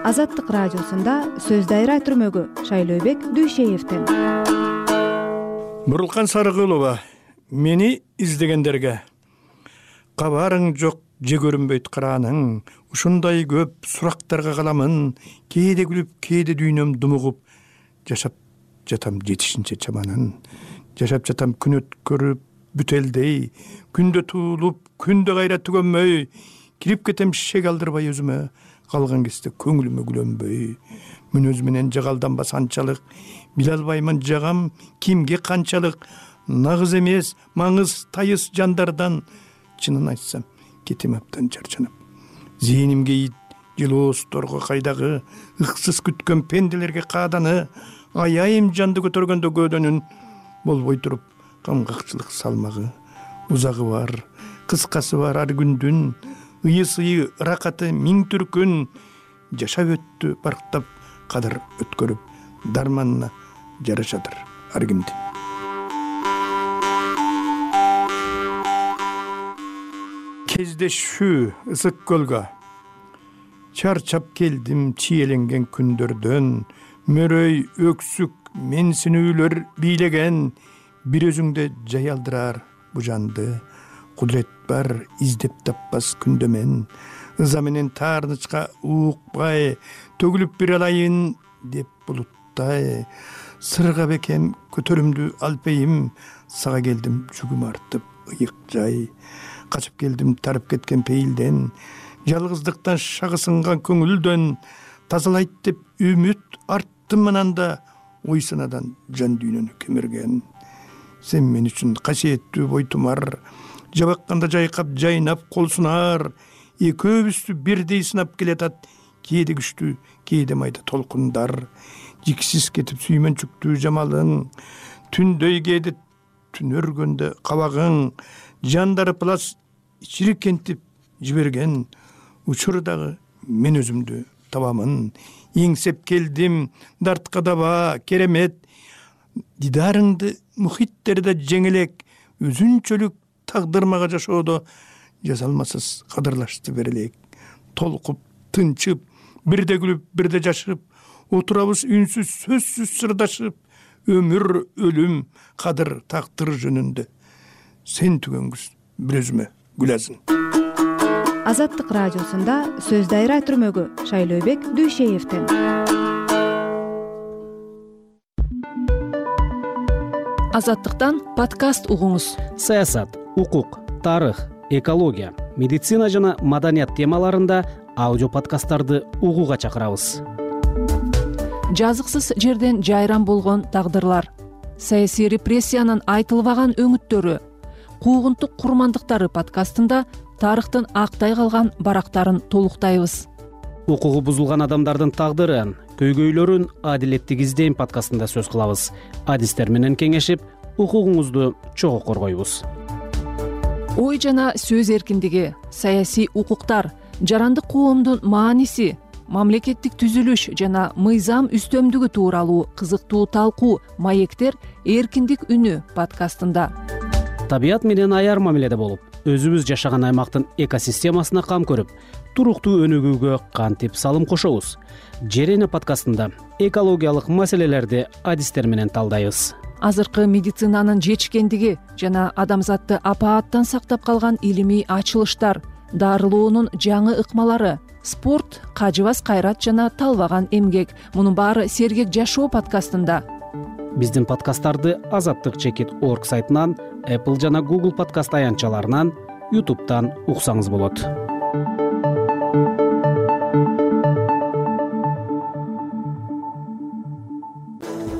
Азаттык радиосунда сөз дайра түрмөгү Шайлообек Дүйшеевден. Бурулкан Сарыгулова, мени издегендерге кабарың жок же көрүнбөйт карааның, ушундай көп сурактарга каламын, кээде күлүп, кээде дүйнөм думугуп, жашап жатам жетишинче чаманын, жашап жатам күн өткөрүп бүтелдей, күндө туулуп, күндө кайра түгөнмөй, кирип кетем шек алдырбай өзүмө, калган кезде көңүлүмө күлөнбөй, мүнөз менен жагалданбас анчалык, биле албаймын жагам кимге канчалык, нагыз эмес, маңыз тайыз жандардан, чынын айтсам, кетем аптан чарчанып. Зээнимге ит, жылоосторго кайдагы, ыксыз күткөн пенделерге кааданы, аяйым жанды көтөргөндө көөдөнүн, болбой туруп, камгакчылык салмагы, узагы бар, кыскасы бар ар күндүн, ыйы-сыйы ыракаты миң түркүн, жашап өттү барктап кадыр өткөрүп, дарманына жарашадыр ар кимдин. Кездешүү ысык көлгө, чарчап келдим чиеленген күндөрдөн, мөрөй өксүк менсинүүлөр бийлеген, бир өзүңдө жаялдырар бу жанды, кудурет бар издеп таппас күндөмен, ыза менен таарынычка уукпай, төгүлүп бир алайын деп булуттай, сырга бекем көтөрүмдү алпейим, сага келдим жүгүм артып ыйык жай, качып келдим тарып кеткен пейилден, жалгыздыктан шагысынган көңүлдөн, тазалайт деп үмүт арттым ананда, ой санадан жан дүйнөнү кемирген. Сен мен үчүн касиеттүү бойтумар, жабакканда жайкап жайнап кол сунар, экөөбүздү бирдей сынап келатат, кээде күчтүү, кээде майда толкундар, жиксиз кетип сүймөнчүктүү жамалың, түндөй кээде түн өргөндө кабагың, жандары плас чирикентип жиберген, учурдагы мен өзүмдү табамын, эңсеп келдим дартка даба керемет, дидарыңды мухиттерде жеңелек, өзүнчөлүк тагдыр мага жашоодо жазалмасыз кадырлашты берелек. Толкуп, тынчып, бирде күлүп, бирде жашып, отурабыз үнсүз, сөзсүз сырдашып, өмүр, өлүм, кадыр, тактыр жөнүндө. Сен түгөнгүз бир өзүмө гүлазын. Азаттык радиосунда сөз дайра түрмөгү Шайлообек Дүйшеевден. Азаттыктан подкаст угуңуз. Саясат, укук, тарых, экология, медицина жана маданият темаларында аудио подкасттарды угууга чакырабыз. Жазыксыз жерден жайран болгон тагдырлар, саясий репрессиянын айтылбаган өңүттөрү, куугунтук курмандыктары подкастында тарыхтын актай калган барактарын толуктайбыз. Укугу бузулган адамдардын тагдырын, көйгөйлөрүн адилеттик издейм подкастында сөз кылабыз. Адистер менен кеңешип, укугуңузду чогуу коргойбуз. Ой жана сөз эркиндиги, саясий укуктар, жарандык коомдун мааниси, мамлекеттик түзүлүш жана мыйзам үстөмдүгү тууралуу кызыктуу талкуу маектер эркиндик үнү подкастында. Табият менен аяр мамиледе болуп, өзүбүз жашаган аймактын экосистемасына кам көрүп, туруктуу өнүгүүгө кантип салым кошобуз? Жер эне подкастында экологиялык маселелерди адистер менен талдайбыз. Азыркы медицинанын жетишкендиги жана адамзатты апааттан сактап калган илимий ачылыштар, дарылоонун жаңы ыкмалары, спорт, кажыбас кайрат жана талбаган эмгек. Мунун баары сергек жашоо подкастында. Биздин подкасттарды azattik.org сайтынан, Apple жана Google подкаст аянтчаларынан, YouTube'дан уксаңыз болот.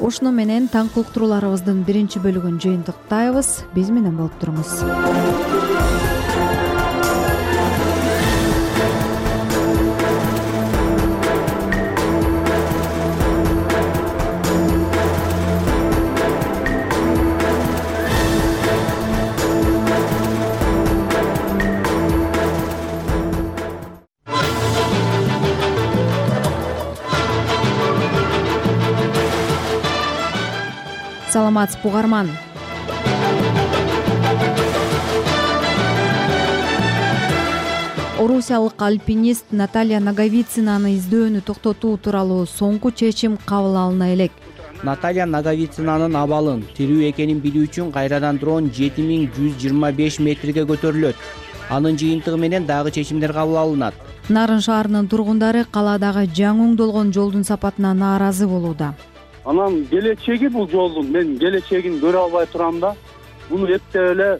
Ушуну менен таңкы уктурууларыбыздын биринчи бөлүгүн жыйынтыктайбыз. Биз менен болуп туруңуз. Саламатсызбы угарман. Орусиялык альпинист Наталья Наговицинаны издөөнү токтотуу тууралуу соңку чечим кабыл алына элек. Наталья Наговицинанын абалын тирүү экенин билүү үчүн кайрадан дрон 7125 метрге көтөрүлөт. Анын жыйынтыгы менен дагы чечимдер кабыл алынат. Нарын шаарынын тургундары калаадагы жаңы оңдолгон жолдун сапатына нааразы болууда. Анан келечеги бул жолдун мен келечегин көрө албай турам да. Муну эптеп эле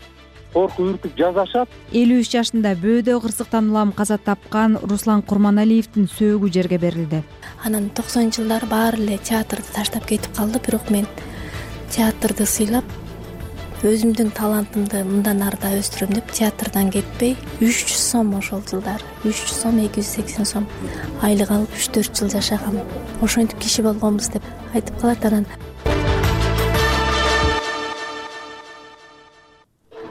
коркуп үркүп жазашат. 53 жашында бөөдө кырсыктан улам каза тапкан Руслан Курманалиевдин сөөгү жерге берилди. Анан 90-жылдар баары эле театрды таштап кетип калды, бирок мен театрды сыйлап, өзүмдүн талантымды мындан ары да өстүрөм деп театрдан кетпей 300 сом ошол жылдары 300 сом 280 сом айлык алып 3-4 жыл жашагам. Ошентип киши болгонбуз деп айтып калат. Анан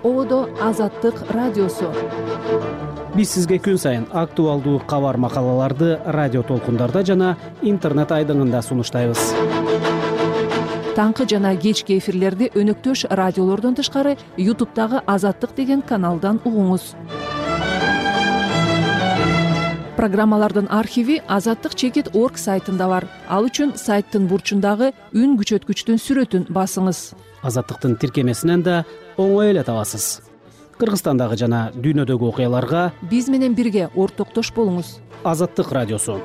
ободо Азаттык радиосу. Биз сизге күн сайын актуалдуу кабар макалаларды радио толкундарда жана интернет айдыңында сунуштайбыз. Таңкы жана кечки эфирлерди өнөктөш радиолордон тышкары YouTube'дагы Азаттык деген каналдан угуңуз. Программалардын архиви azattik.org сайтында бар. Ал үчүн сайттын бурчундагы үн күчөткүчтүн сүрөтүн басыңыз. Азаттыктын тиркемесинен да оңой эле табасыз. Кыргызстандагы жана дүйнөдөгү окуяларга биз менен бирге ортоктош болуңуз. Азаттык радиосу.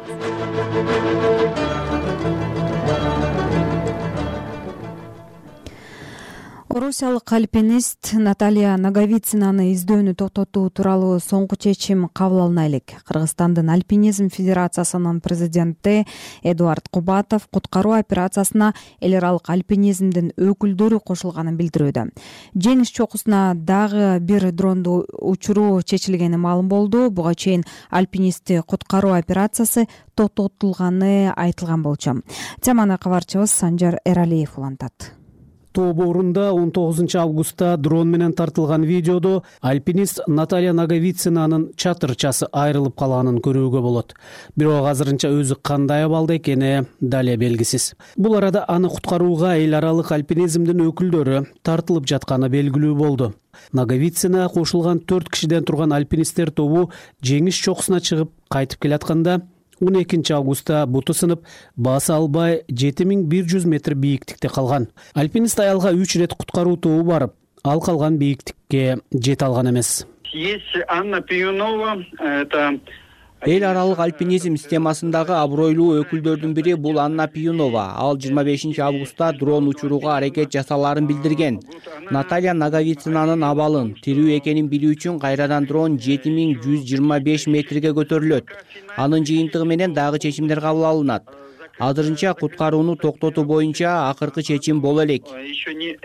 Орусиялык альпинист Наталья Наговицинаны издөөнү токтотуу тууралуу соңку чечим кабыл алына элек. Кыргызстандын Альпинизм Федерациясынын президенти Эдуард Кубатов куткаруу операциясына эл аралык альпинизмдин өкүлдөрү кошулганын билдирүүдө. Жеңиш чокусуна дагы бир дронду учуруу чечилгени маалым болду. Буга чейин альпинистти куткаруу операциясы токтотулганы айтылган болчу. Теманы кабарчыбыз Санжар Эралиев улантат. Тоо боорунда 19 августта дрон менен тартылган видеодо альпинист Наталья Наговицинанын чатырчасы айрылып калганын көрүүгө болот. Бирок азырынча өзү кандай абалда экени дале белгисиз. Бул арада аны куткарууга эл аралык альпинизмдин өкүлдөрү тартылып жатканы белгилүү болду. Наговицина кошулган 4 кишиден турган альпинисттер тобу жеңиш чокусуна чыгып кайтып келатканда 12 августта буту сынып, басы албай 7100 метр бийиктикте калган. Альпинист аялга 3 рет куткаруу тобу барып, ал калган бийиктикке жете алган эмес. Есть Анна Пиюнова, это эл аралык альпинизм системасындагы абройлуу өкүлдөрдүн бири бул Анна Пиюнова. Ал 25 августта дрон учурууга аракет жасаларын билдирген. Наталья Наговицинанын абалын, тирүү экенин билүү үчүн кайрадан дрон 7125 метрге көтөрүлөт. Анын жыйынтыгы менен дагы чечимдер кабыл алынат. Азырынча куткарууну токтотуу боюнча акыркы чечим боло элек. еще не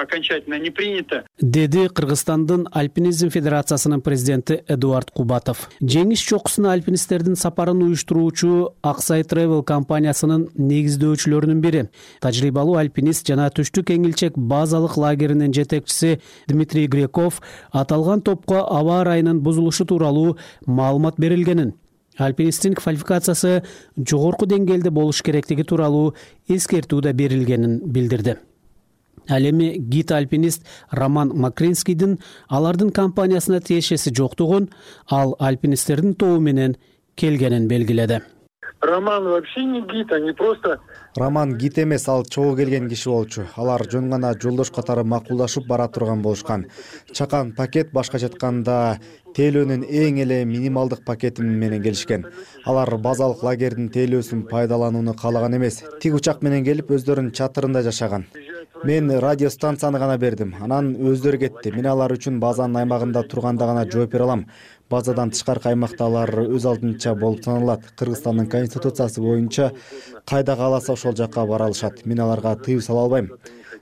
окончательно не принято. Деди Кыргызстандын Альпинизм Федерациясынын президенти Эдуард Кубатов. Жеңиш чокусуна альпинисттердин сапарын уюштуруучу Аксай Travel компаниясынын негиздөөчүлөрүнүн бири. Тажрыйбалуу альпинист жана Түштүк Эңилчек базалык лагеринин жетекчиси Дмитрий Греков аталган топко аба ырайынын бузулушу тууралуу маалымат берилгенин, альпинисттин квалификациясы жогорку деңгээлде болуш керектиги тууралуу эскертүү да берилгенин билдирди. Ал эми гид-альпинист Роман Макринскийдин алардын компаниясына тиешеси жоктугун, ал альпинисттердин тобу менен келгенин белгиледи. Роман вообще не гид, они просто... Роман гид эмес, ал чогуу келген киши болчу. Алар жөн гана жолдош катары макулдашып бара турган болушкан. Чакан пакет, башкача айтканда тейлөөнүн эң эле минималдык пакети менен келишкен. Алар базалык лагердин тейлөөсүн пайдаланууну каалаган эмес. Тик учак менен келип өздөрүнүн чатырында жашаган. Мен радиостанцияны гана бердим, анан өздөрү кетти. Мен алар үчүн базанын аймагында турганда гана жооп бере алам. Базадан тышкаркы аймакта алар өз алдынча болуп саналат. Кыргызстандын конституциясы боюнча кайда кааласа ошол жакка бара алышат. Мен аларга тыюу сала албайм.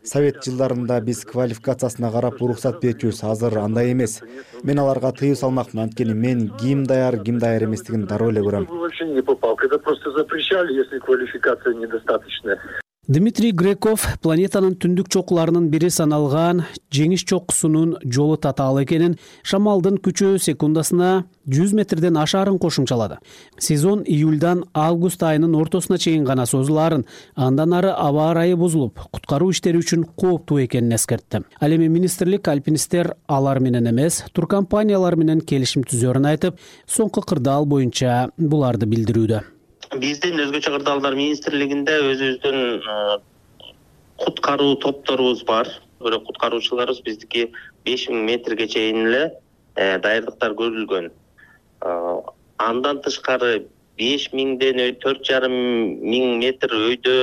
Совет жылдарында биз квалификациясына карап уруксат берчүбүз, азыр андай эмес. Мен аларга тыюу салмакмын, анткени мен ким даяр эместигин дароо эле көрөм. Вообще не попал, когда просто запрещали, если квалификация недостаточная. Дмитрий Греков планетанын түндүк чокуларынын бири саналган жеңиш чокусунун жолу татаал экенин, шамалдын күчү секундасына 100 метрден ашаарын кошумчалады. Сезон июльдан август айынын ортосуна чейин гана созулаарын, андан ары аба ырайы бузулуп, куткаруу иштери үчүн кооптуу экенин эскертти. Ал эми министрлик альпинисттер алар менен эмес, туркомпаниялар менен келишим түзөөрүн айтып, соңку кырдаал боюнча буларды билдирүүдө. Биздин өзгөчө кырдаалдар министрлигинде өзүбүздүн куткаруу топторубуз бар. Бирок куткаруучуларыбыз биздики 5000 метрге чейин эле даярдыктар көрүлгөн. Андан тышкары 5000ден 4500 метр өйдө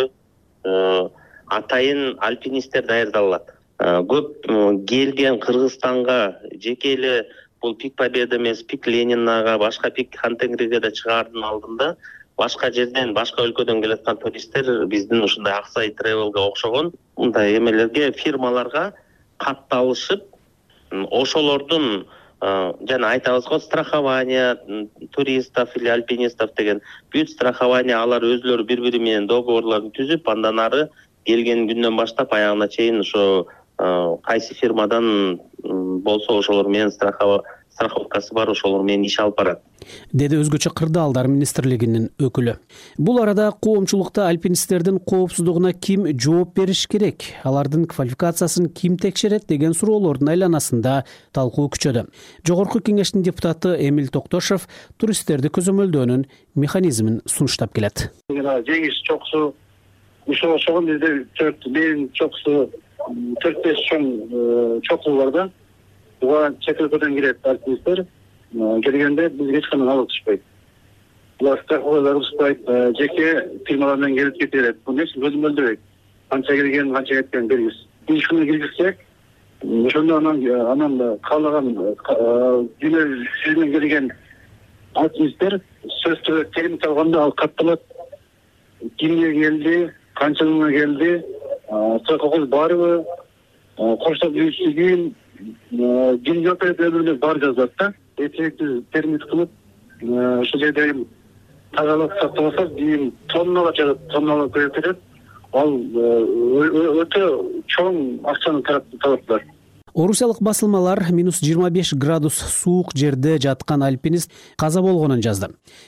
атайын альпинисттер даярдалат. Көп келген Кыргызстанга жеке эле бул Пик Победа эмес, Пик Ленинага, башка Пик Хантенгриге да чыгаардын алдында башка жерден, башка өлкөдөн келаткан туристтер биздин ушундай Аксай Travel'га окшогон мындай эмелерге, фирмаларга катталышып, ошолордун жана айтабыз го страхование туристов или альпинистов деген бүт страхование, алар өзүлөрү бири-бири менен договорлорун түзүп, андан ары келген күндөн баштап аягына чейин ошо кайсы фирмадан болсо ошолор менен страховкасы бар, ошолор менен иш алып барат, деди өзгөчө кырдаалдар министрлигинин өкүлү. Бул арада коомчулукта альпинисттердин коопсуздугуна ким жооп бериш керек, алардын квалификациясын ким текшерет деген суроолордун айланасында талкуу күчөдө. Жогорку кеңештин депутаты Эмил Токтошов туристтерди көзөмөлдөөнүн механизмин сунуштап келет. Жеңиш чокусу ушул чогун бизде менин чокусу 4-5 чоң чокуу бар да. Буга чет өлкөдөн келет альпинисттер. Келгенде бизге эч кандай налог түшпөйт. Булар страховкалар түшпөйт, жеке фирмалар менен келип кетет. Буну көзөмөлдөбөйт. Канча келген, канча кеткен белгисиз. Биз ушуну киргизсек, ошондо анан каалаган дүйнө менен келген альпинисттер сөз түрдө термит алганда ал катталат. Кимге келди, канча жылга келди, страховкасы барбы, коштоп жүрүшүгүн, ким жооп берет өмүрүнө бар жазат да. Эффектив термит кылып, ошол жерде тазалык сакталса, кийин тонналап жатат, тонналап көрүп кетет. Ал өтө чоң акчаны талаптар. Орусиялык басылмалар -25 градус суук жерде жаткан альпинист каза болгонун жазды.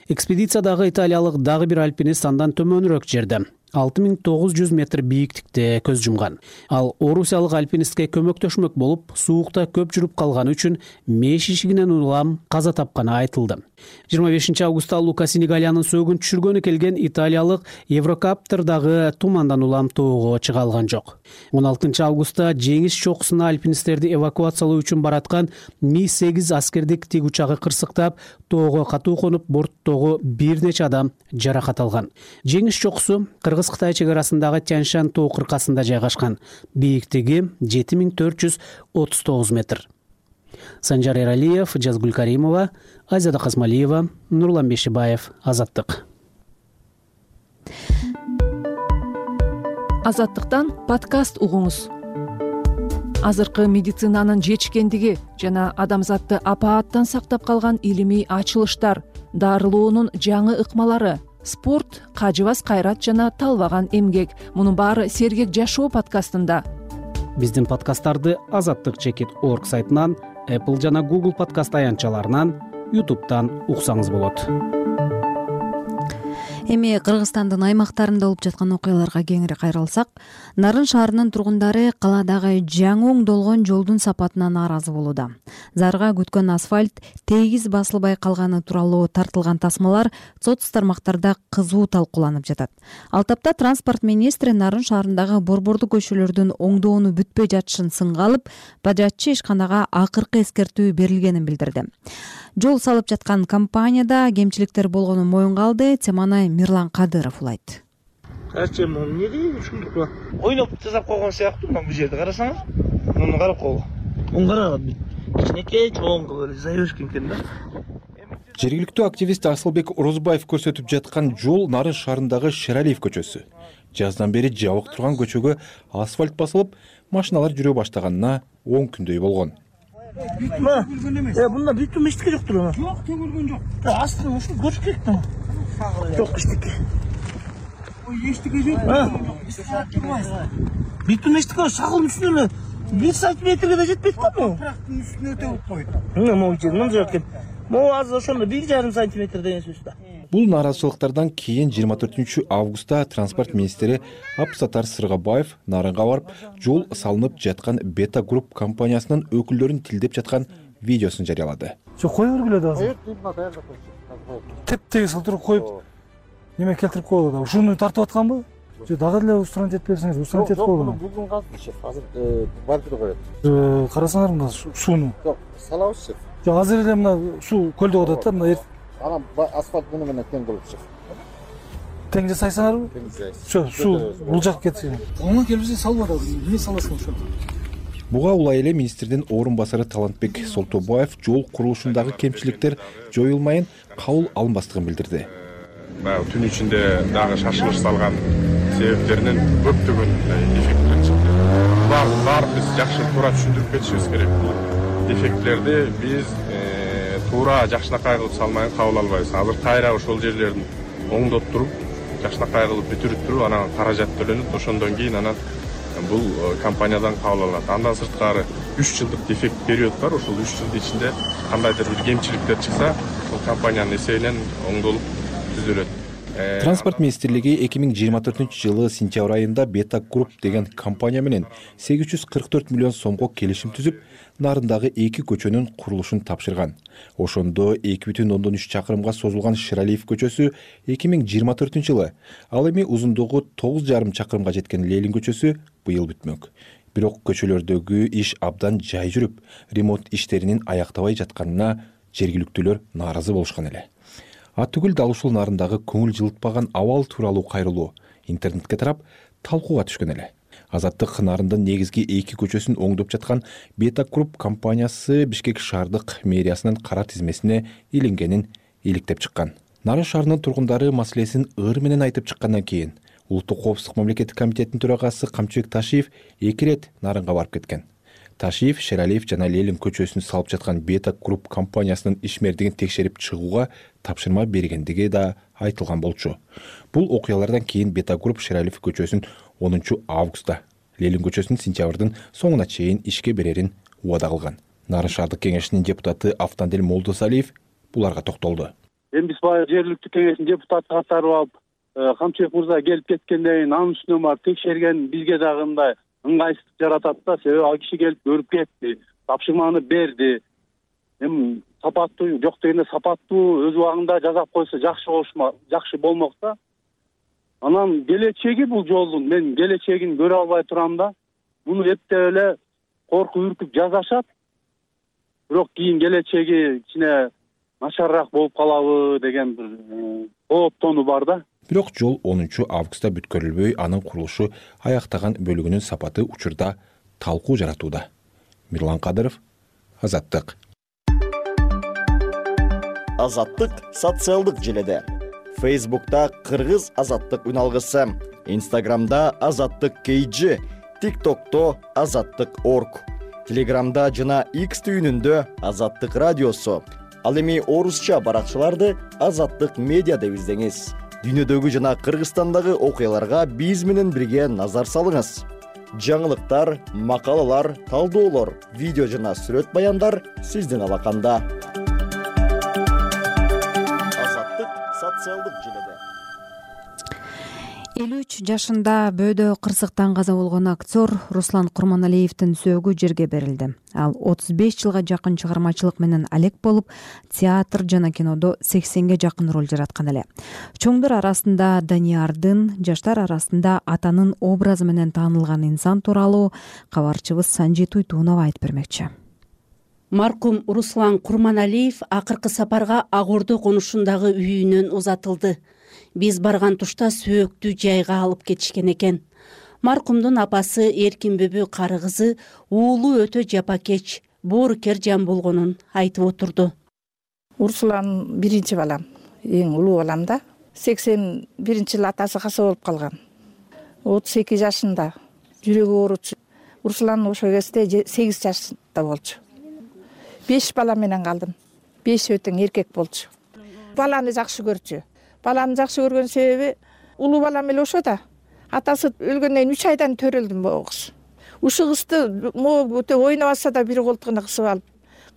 Экспедициядагы италиялык дагы бир альпинист андан төмөнүрөөк жерде 6900 метр бийиктикте көз жумган. Ал орусиялык альпинистке көмөктөшмөк болуп, суукта көп жүрүп калганы үчүн меш ишигинен улам каза тапканы айтылды. 25 августта Лука Сенегалиянын сөөгүн түшүргөнү келген италиялык Еврокаптер дагы тумандан улам тоого чыга алган жок. 16 августта жеңиш чокусуна альпинисттерди эвакуациялоо үчүн бараткан Ми-8 аскердик тик учагы кырсыктап, тоого катуу конуп, борттогу бир нече адам жаракат алган. Жеңиш чокусу Кыргыз-Кытай чек арасындагы Тяньшань тоо кыркасында жайгашкан. Бийиктиги 7439 метр. Санжар Эралиев, Жазгүл Каримова, Азиада Казмалиева, Нурлан Бешибаев, Азаттык. Азаттыктан подкаст угуңуз. Азыркы медицинанын жетишкендиги жана адамзатты апааттан сактап калган илимий ачылыштар, дарылоонун жаңы ыкмалары, спорт, кажыбас кайрат жана талбаган эмгек. Мунун баары Сергек жашоо подкастында. Биздин подкасттарды azattik.org сайтынан, Apple жана Google подкаст аянтчаларынан, YouTube'дан уксаңыз болот. Эми Кыргызстандын аймактарында болуп жаткан окуяларга кеңири кайрылсак, Нарын шаарынын тургундары каладагы жаңы оңдолгон жолдун сапатына нааразы болууда. Зарга күткөн асфальт тегиз басылбай калганы тууралуу тартылган тасмалар соц тармактарда кызуу талкууланып жатат. Ал тапта транспорт министри Нарын шаарындагы борбордуу көчөлөрдүн оңдоону бүтпөй жатышын сынга алып, бажатчы ишканага акыркы эскертүү берилгенин билдирди. Жол салып жаткан компанияда кемчиликтер болгонун моюнга алды. Теманы Мирлан Кадыров улайт. Качем, эмне дейм ушундук ойноп жасап койгон сыяктуу, мына бул жерде карасаңыз, муну карап койгон. Муну караган бит. Кичинекей чоң кылып эле заёшкин экен да. Жергиликтүү активист Асылбек Орозбаев көрсөтүп жаткан жол Нарын шаарындагы Шералиев көчөсү. Жаздан бери жабык турган көчөгө асфальт басылып, машиналар жүрө баштаганына 10 күндөй болгон. Бунда бүтүм эчтеке жоктур. Жок, төгүлгөн жок. Астын ушу көрүш керек да. Жок эчтеке. Ой, эчтеке жок. Бүтүм эчтеке шагылдын үстүнө 1 сантиметрге да жетпейт го бул. Трактын үстүнө өтөп койду. Могу жер мындай экен. Могу азыр ошондо 1,5 сантиметр деген сөз да. Бул нааразычылыктардан кийин 24 августта транспорт министри Абсатар Сыргабаев Нарынга барып, жол салынып жаткан Бета Групп компаниясынын өкүлдөрүн тилдеп жаткан видеосун жарыялады. Жок, кое бергиле да азыр. Теп-тегиз кылтырып коюп, неме келтирип коелу да. Ушуну тартып атканбы? Же дагы эле устранить этип берсеңиз, устранить этип коелу. Бүгүн калды шеф, азыр бардыр коет. Карасаңар мына сууну. Жок, салабыз шеф. Жок, азыр эле мына суу көлдө атат да, мына анан асфальт муну менен тең болуп чыгат. Тең жасайсыңарбы? Тең жасайбыз. Суу булжак кетсин. Оңо келбесе салбада, эмне саласың ошо? Буга улай эле министрдин орун басары Талантбек Солтобаев жол курулушундагы кемчиликтер жоюлмайын кабыл алынбастыгын билдирди. Түн ичинде дагы шашылыш салган себептеринен көптөгөн дефекттер чыкты. Баарын биз жакшы туура түшүндүрүп кетишибиз керек. Дефектлерди биз туура жакшынакай кылып салмайын кабыл албайбыз. Азыр кайра ошол жерлерин оңдоп туруп, жакшынакай кылып бүтүрүп туруп, анан каражат төлөнүп, ошондон кийин анан бул компаниядан кабыл алынат. Андан сырткары 3 жылдык дефект период бар. Ошол 3 жылдын ичинде кандайдыр бир кемчиликтер чыкса, бул компаниянын эсебинен оңдолуп түзөлөт. Транспорт министрлиги 2024-жылы сентябрь айында Beta Group деген компания менен 844 миллион сомго келишим түзүп, нарындагы 2 көчөнүн курулушун тапшырган. Ошондо 2,3 чакырымга созулган Ширалиев көчөсү 2024-жылы, ал эми узундугу 9,5 чакырымга жеткен Ленин көчөсү быйыл бүтмөк. Бирок көчөлөрдөгү иш абдан жай жүрүп, ремонт иштеринин аяктабай жатканына жергиликтүүлөр нааразы болушкан эле. Ат-Түгүл дал ушул нарындагы көңүл жылытпаган абал тууралуу кайрылуу интернетке тарап талкууга түшкөн эле. Азаттык нарындын негизги 2 көчөсүн оңдоп жаткан Beta Group компаниясы Бишкек шаардык мэриясынын кара тизмесине илингенин иликтеп чыккан. Нарын шаарынын тургундары маселесин ыр менен айтып чыккандан кийин Улуттук коопсуздук мамлекеттик комитетинин төрагасы Камчыбек Ташиев 2 рет нарынга барып кеткен. Ташиев, Шералиев жана Ленин көчөсүн салып жаткан Beta Group компаниясынын ишмердигин текшерип чыгууга тапшырма бергендиги да айтылган болчу. Бул окуялардан кийин Beta Group Шералиев көчөсүн 10 августта, Ленин көчөсүн сентябрдын соңуна чейин ишке берерин убада кылган. Нарын шаардык кеңешинин депутаты Автандел Молдосалиев буларга токтолду. Эми биз баягы жергиликтүү кеңештин депутаты катары алып, Камчыбек мырза келип кеткенден кийин анын үстүнө барып текшерген бизге дагы мындай ыңгайсыздык жаратат да, себеби ал киши келип көрүп кетти, тапшырманы берди. Эми сапаттуу, жок дегенде сапаттуу өз убагында жасап койсо жакшы болмок да. Анан келечеги бул жолдун мен келечегин көрө албай турам да. Муну эптеп эле коркуп үркүп жазашат. Бирок кийин келечеги кичине начарыраак болуп калабы деген бир кооптонуу бар да. Бирок жол 10 августта бүткөрүлбөй, анын курулушу аяктаган бөлүгүнүн сапаты учурда талкуу жаратууда. Мирлан Кадыров, Азаттык. Азаттык социалдык желеде. Facebook'ta Кыргыз Азаттык үналгысы, Instagram'da Азаттык KG, TikTok'ta Азаттык.org, Telegram'da жана X түйүнүндө Азаттык радиосу. Ал эми орусча баракчаларды Азаттык медиа деп издеңиз. Дүйнөдөгү жана Кыргызстандагы окуяларга биз менен бирге назар салыңыз. Жаңылыктар, макалалар, талдоолор, видео жана сүрөт баяндар сиздин алаканда. Азаттык социалдык желеде. 53 жашында бөөдө кырсыктан каза болгон актер Руслан Курманалиевдин сөөгү жерге берилди. Ал 35 жылга жакын чыгармачылык менен алек болуп, театр жана кинодо 80ге жакын роль жараткан эле. Чоңдор арасында Даниярдын, жаштар арасында атанын образы менен таанылган инсан тууралуу кабарчыбыз Санжи Туйтунова айтып бермекчи. Маркум Руслан Курманалиев акыркы сапарга Ак Ордо конушундагы үйүнөн узатылды. Биз барган тушта сөөктү жайга алып кетишкен экен. Маркумдун апасы Эркинбүбү кары кызы уулу өтө жапакеч, боорукер жан болгонун айтып отурду. Руслан биринчи балам, эң улуу балам да. 81-жылы атасы каса болуп калган. 32 жашында жүрөгү ооручу. Руслан ошол кезде 8 жашында болчу. 5 бала менен калдым. 5 өтөң эркек болчу. Баланы жакшы көрчү. Баланы жакшы көргөн себеби улуу балам эле ошо да. Атасы өлгөндөн 3 айдан төрөлдүм могу кыз. Ушул кызды могу өтө ойнобаса да бир колтугуна кысып алып,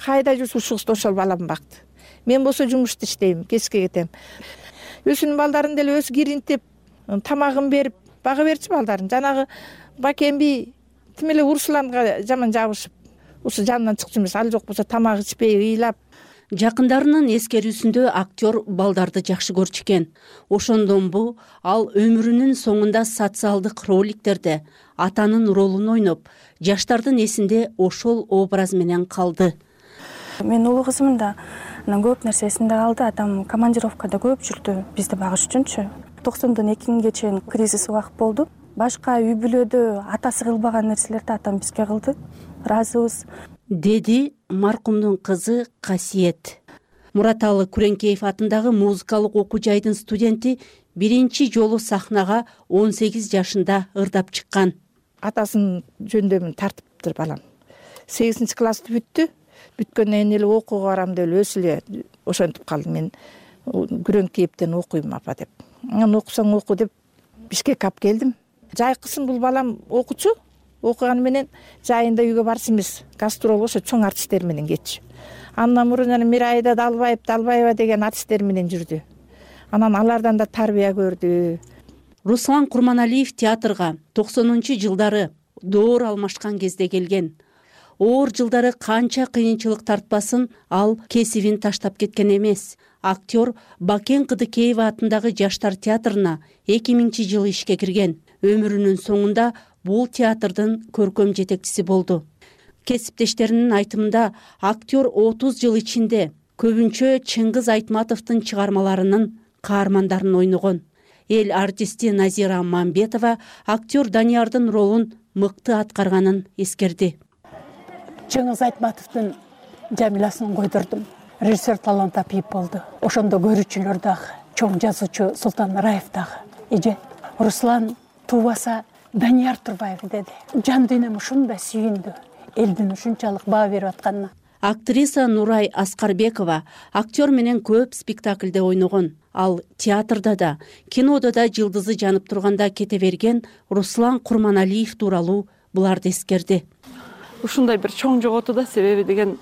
кайда жүрсө ушул кызды ошол балам бакты. Мен болсо жумушта иштейм, кечке кетем. Өзүнүн балдарын деле өзү киринтип, тамагын берип, бага берчү балдарын. Жанагы Бакемби тим эле Русланга жаман жабышып, ушу жанынан чыкчу эмес, ал жок болсо тамак ичпей, ыйлап. Жакындарынын эскерүүсүндө актер балдарды жакшы көрчү экен. Ошондон бу ал өмүрүнүн соңунда социалдык роликтерде атанын ролун ойноп, жаштардын эсинде ошол образ менен калды. Мен улуу кызым да көп нерсесинде калды. Атам командировкада көп жүрдү бизди багыш үчүнчү. 92-ге чейин кризис убакыт болду. Башка үй бүлөдө атасы кылбаган нерселерди атам бизге кылды. Ыраазыбыз, деди маркумдун кызы Касиет. Мураталы Күреңкеев атындагы музыкалык окуу жайдын студенти биринчи жолу сахнага 18 жашында ырдап чыккан. Атасын жөндөмүн тартыптыр балам. 8-классты бүттү. Бүткөндөн эле окууга барам деп өзү эле ошентип калды. Мен Күреңкеевден окуйм апа деп. Анан окусаң оку деп Бишкекке алып келдим. Жайкысын бул балам окучу, окуганы менен жайында үйгө барчу эмес, гастрол ошо чоң артисттер менен кетчү. Андан мурун жана Мирайда Далбаева деген артисттер менен жүрдү. Анан алардан да тарбия көрдү. Руслан Курманалиев театрга 90-жылдары доор алмашкан кезде келген. Оор жылдары канча кыйынчылык тартпасын, ал кесибин таштап кеткен эмес. Актер Бакен Кыдыкеева атындагы Жаштар театрына 2000-жылы ишке кирген. Өмүрүнүн соңунда бул театрдын көркөм жетекчиси болду. Кесиптештеринин айтымында актер 30 жыл ичинде көбүнчө Чыңгыз Айтматовдун чыгармаларынын каармандарын ойногон. Эл артисти Назира Мамбетова актер Даниярдын ролун мыкты аткарганын эскерди. Чыңгыз Айтматовдун Жамилясын койдурдум. Режиссер Талант Апиев болду. Ошондо көрүүчүлөр дагы, чоң жазуучу Султан Раев дагы. Эже Руслан туубаса Данияр Турбаев деди. Жан дүйнөм ушундай сүйүндү. Элдин ушунчалык баа берип атканына. Актриса Нурай Аскарбекова актер менен көп спектакльде ойногон. Ал театрда да, кинодо да жылдызы жанып турганда кете берген Руслан Курманалиев тууралуу буларды эскерди. Ушундай бир чоң жоготу да, себеби деген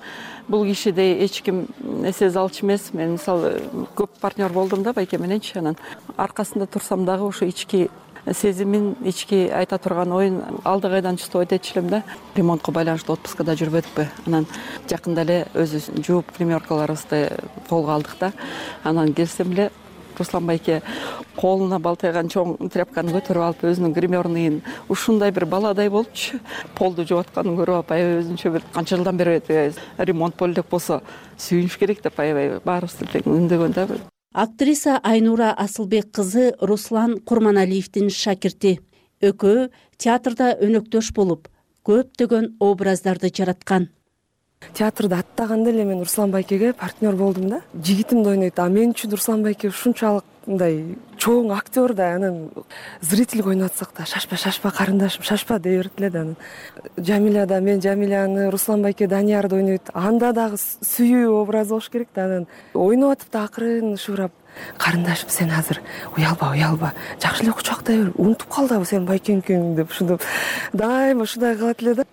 бул кишидей эч ким эсе алчу эмес. Мен мисалы көп партнер болдум да байке мененчи, анан аркасында турсам дагы ошо ички сезимин, ички айта турган оюн алды кайдан чыгып айтчу элем да. Ремонтко байланыштуу отпускада жүрбөдүкпү. Анан жакында эле өзү жууп гримеркаларыбызды колго алдык да. Анан келсем эле Руслан байке колуна балтайган чоң тряпканы көтөрүп алып өзүнүн гримерныйын ушундай бир баладай болчу. Полду жууп атканын көрүп алып, аябай өзүнчө бир канча жылдан бери ремонт болду деп болсо сүйүнүш керек деп аябай баарыбызды тең үндөгөн да. Актриса Айнура Асылбек кызы Руслан Курманалиевдин шакирти. Экөө театрда өнөктөш болуп, көптөгөн образдарды жараткан. Театрда аттаганда эле мен Руслан байкеге партнер болдум да. Жигитим да ойнойт. А мен үчүн Руслан байке ушунчалык мындай чоң актер да, анан зрительге ойноп атсак да шашпа карындашым, шашпа дей берет эле да. Жамиля да, мен Жамиляны, Руслан байке Даниярды ойнойт. Анда дагы сүйүү образ болуш керек да. Анан ойноп атып да акырын шурап, карындашым сен азыр уялба, жакшы эле кучактай бер, унутуп калдыбы сен байкеңкең деп ушинтип дайыма ушундай кылат эле да.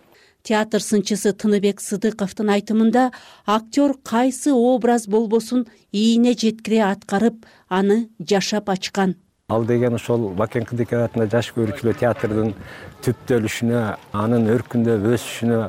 Театр сынчысы Тыныбек Сыдыковдун айтымында актер кайсы образ болбосун ийине жеткире аткарып, аны жашап ачкан. Ал деген ошол Бакен Кыдыкеев атында жаш көрүүчүлөр театрдын түптөлүшүнө, анын өркүндө өсүшүнө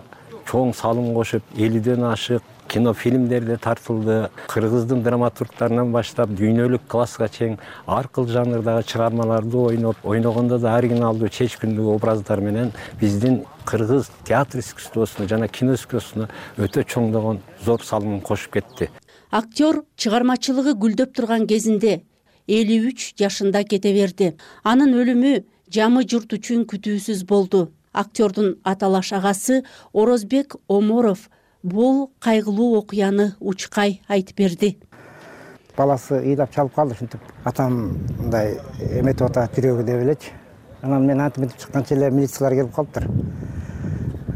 чоң салым кошуп, 50ден ашык кинофильмдерде тартылды. Кыргыздын драматургтарынан баштап дүйнөлүк класска чейин ар кыл жанрдагы чыгармаларды ойногондо да оригиналдуу, чечкиндүү образдар менен биздин кыргыз театр искусствосуна жана кино искусствосуна өтө чоңдогон зор салымын кошуп кетти. Актер чыгармачылыгы гүлдөп турган кезинде 53 жашында кете берди. Анын өлүмү жамы журт үчүн күтүүсүз болду. Актердун аталаш агасы Орозбек Оморов бул кайгылуу окуяны учкай айтып берди. Баласы ыйлап чалып калды, ушинтип атам мындай эметип атат жүрөгү деп элечи. Анан мен антип чыкканча эле милициялар келип калыптыр.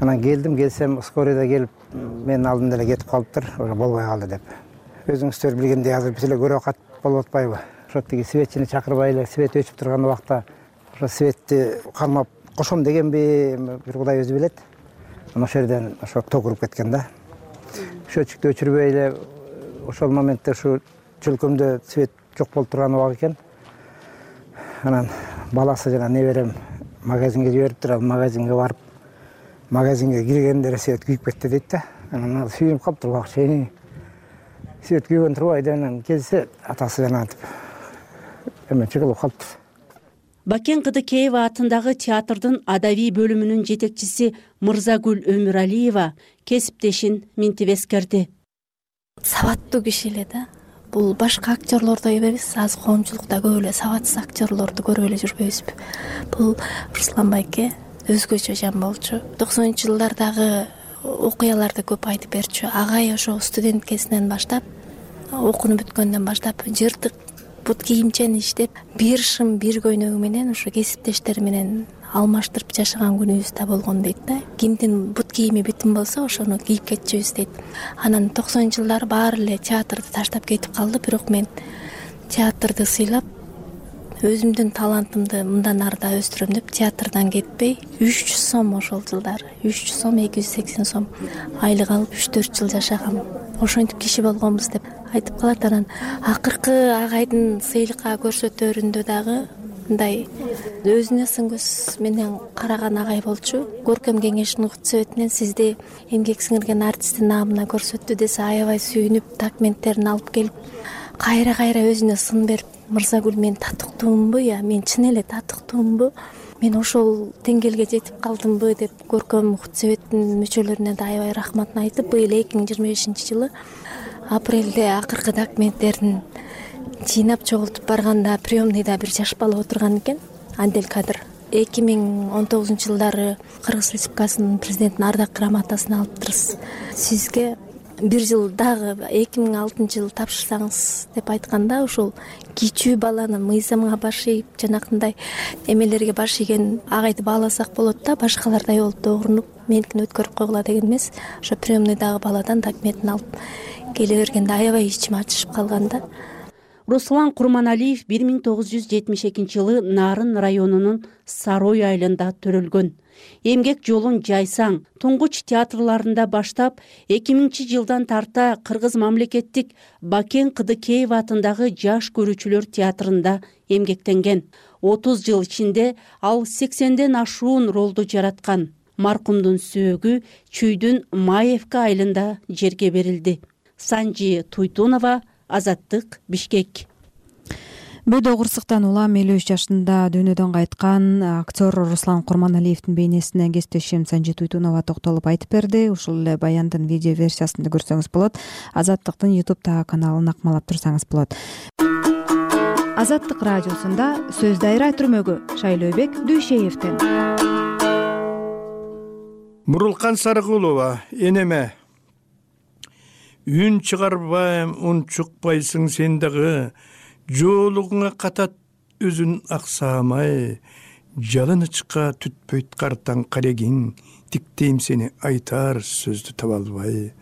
Анан келсем скорыйда келип менин алдымда эле кетип калыптыр, уже болбой калды деп. Өзүңүздөр билгендей азыр биз эле көрө кат болуп атпайбы? Ошо тиги светчини чакырбай эле свет өчүп турган убакта ошо светти кармап кошом дегенби, бир Кудай өзү билет. Анан ошол жерден ошо ток уруп кеткен да. Счетчикти өчүрбөй эле ошол моментте ушу чөлкөмдө свет жок болуп турган убак экен. Анан баласы жана неберем магазинге жибериптир, ал магазинге барып, магазинге киргенде свет күйүп кетти дейт да. Анан ал сүйүнүп калыптыр убакчы. Свет күйгөн турбайды, анан келсе атасы жана антип эметчи кылып калыптыр. Бакен Кыдыкеева атындагы театрдын адабий бөлүмүнүн жетекчиси Мырзагүл Өмүралиева кесиптешин минтип эскерди. Сабаттуу киши эле да. Бул башка актерлордой эмес, азыр коомчулукта көп эле сабатсыз актерлорду көрүп эле жүрбөйбүзбү. Бул Руслан байке өзгөчө жан болчу. 90-жылдардагы окуяларды көп айтып берчү. Агай ошо студенткесинен баштап, окууну бүткөндөн баштап жыртык бут кийимчен иштеп, бир шым бир көйнөгү менен ошо кесиптештери менен алмаштырып жашаган күнүбүз да болгон дейт да. Кимдин бут кийими бүтүн болсо, ошону кийип кетчүбүз дейт. Анан 90-жылдары баары эле театрды таштап кетип калды, бирок мен театрды сыйлап, өзүмдүн талантымды мындан ары да өстүрөм деп театрдан кетпей 300 сом ошол жылдары 300 сом 280 сом айлык алып 3-4 жыл жашагам. Ошентип киши болгонбуз деп айтып калат. Анан акыркы агайдын сыйлыкка көрсөтөрүндө дагы мындай өзүнө сын көз менен караган агай болчу. Көркөм кеңештин укук советинен сизди эмгек сиңирген артисттин наамына көрсөттү десе аябай сүйүнүп документтерин алып келип кайра өзүнө сын берип, Мырзагүл мен татыктуумбу, мен чын эле татыктуумбу, мен ошол деңгээлге жетип калдымбы деп көркөм укук советтин мүчөлөрүнө да аябай рахматын айтып, быйыл 2025-жылы апрелде акыркы документтерин жыйнап чогултуп барганда приемныйда бир жаш бала отурган экен, Андель Кадыр. 2019-жылдары Кыргыз Республикасынын президентинин ардак грамотасын алыптырсыз. Сизге бир жыл дагы 2006-жылы тапшырсаңыз деп айтканда, ошол кичүү баланы мыйзамга баш ийип, жанакындай эмелерге баш ийген агайды бааласак болот да, башкалардай болуп да угрунуп, меникин өткөрүп койгула деген эмес. Ошо приемныйдагы баладан документин алып келе бергенде аябай ичим ачышып калган да. Руслан Курманалиев 1972-жылы Нарын районунун Сарой айылында төрөлгөн. Эмгек жолун жайсаң, туңгуч театрларында баштап, 2000-жылдан тарта Кыргыз мамлекеттик Бакен Кыдыкеев атындагы жаш көрүүчүлөр театрында эмгектенген. 30 жыл ичинде ал 80ден ашуун ролду жараткан. Маркумдун сөөгү Чүйдүн Маевка айылында жерге берилди. Санжи Туйтунова, Азаттык, Бишкек. Бөдө кырсыктан улам 53 жашында дүйнөдөн кайткан актер Руслан Курманалиевдин бейнесине кесиптешим Санжи Туйтунова токтолуп айтып берди. Ушул эле баяндын видео версиясын да көрсөңүз болот. Азаттыктын YouTube каналын акмалап турсаңыз болот. Азаттык радиосунда сөз дайра түрмөгү Шайлообек Дүйшеевден. Мурулкан Сарыкулова, энеме. Үн чыгарбайм, ун чукпайсың сен дагы, жоолугуңа катат өзүн аксамай, жалынычка түтпөйт картаң карегиң, тиктейм сени айтар сөздү таба албай.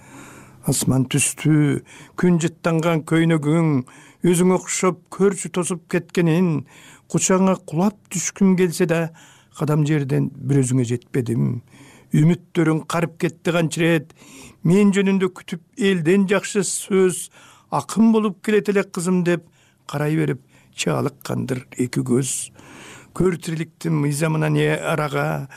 Асман түстү, күн жыттанган көйнөгүң, өзүң окшоп көрчү тосуп кеткенин, кучаңа кулап түшкүм келсе да, кадам жерден бир өзүңө жетпедим. Үмүттөрүң карып кетти канчырет, мен жөнүндө күтүп элден жакшы сөз, акын болуп келет эле кызым деп карай берип чаалыккандыр эки көз. Көр тириликтин мыйзамына не арага,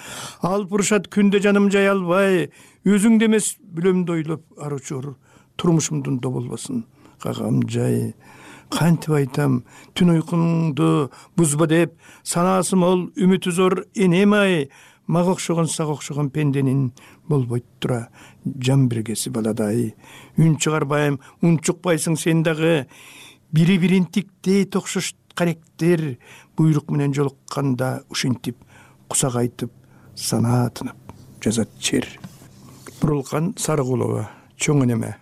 алып урушат күндө жаным жай албай, өзүңдө эмес бүлөмдү ойлоп аручур, турмушумдун доболбосун кагам жай. Кантип айтам, түн уйкуңду бузба деп, санаасы мол үмүтү зор энем ай, мага окшогон сага окшогон пенденин болбойт тура жан биргеси баладай. Үн чыгарбайм, ун чукпайсың сен дагы, бири-бирин тиктей токшош каректер, буйрук менен жолукканда ушинтип кусагайтып санаатынып жазат чер. Мурулкан Сарыкулова, чоң энеме.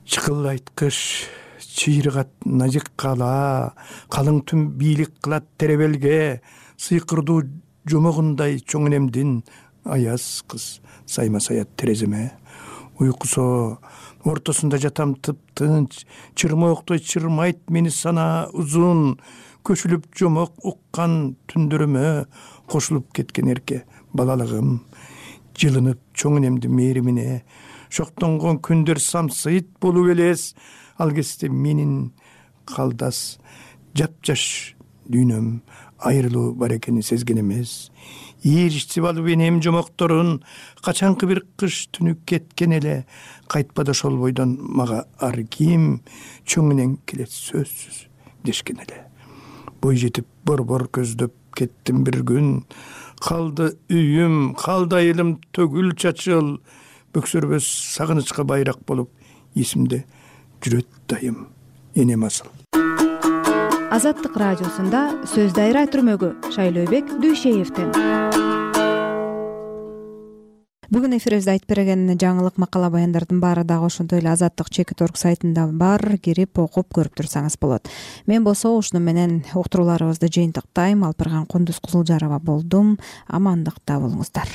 Чыкылайткыч чыйрыгат назик кала, калың түн бийлик кылат теребелге, сыйкырдуу жомогундай чоң энемдин аяз кыз сайма саят тереземе. Уйкусо ортосунда жатам тып-тынч, чырмооктой чырмайт мени сана узун, көчүлүп жомок уккан түндөрүмө кошулуп кеткен эрке балалыгым. Жылынып чоң энемдин мээримине, шоктонгон күндөр самсыйт болуп элес, ал кезде менин калдас жапжаш дүйнөм айрылуу бар экенин сезген эмес. Ийричтип алып энем жомокторун, качанкы бир кыш түнү кеткен эле, кайтпады ошол бойдон мага ар ким, чоң энең келет сөзсүз дешкен эле. Бой жетип борбор көздөп кеттим бир күн, калды үйүм, калды айылым төгүл чачыл, бөксөрбөс сагынычка байрак болуп эсимде жүрөт дайым энем асыл. Азаттык радиосунда сөз дайра түрмөгү Шайлообек Дүйшеевден. Бүгүн эфирибизде айтып берген жаңылык макала баяндардын баары дагы ошондой эле Азаттык.org сайтында бар, кирип окуп көрүп турсаңыз болот. Мен болсо ушуну менен уктурууларыбызды жыйынтыктайм. Алпырган Кундуз Кызылжарова болдум. Амандыкта болуңуздар.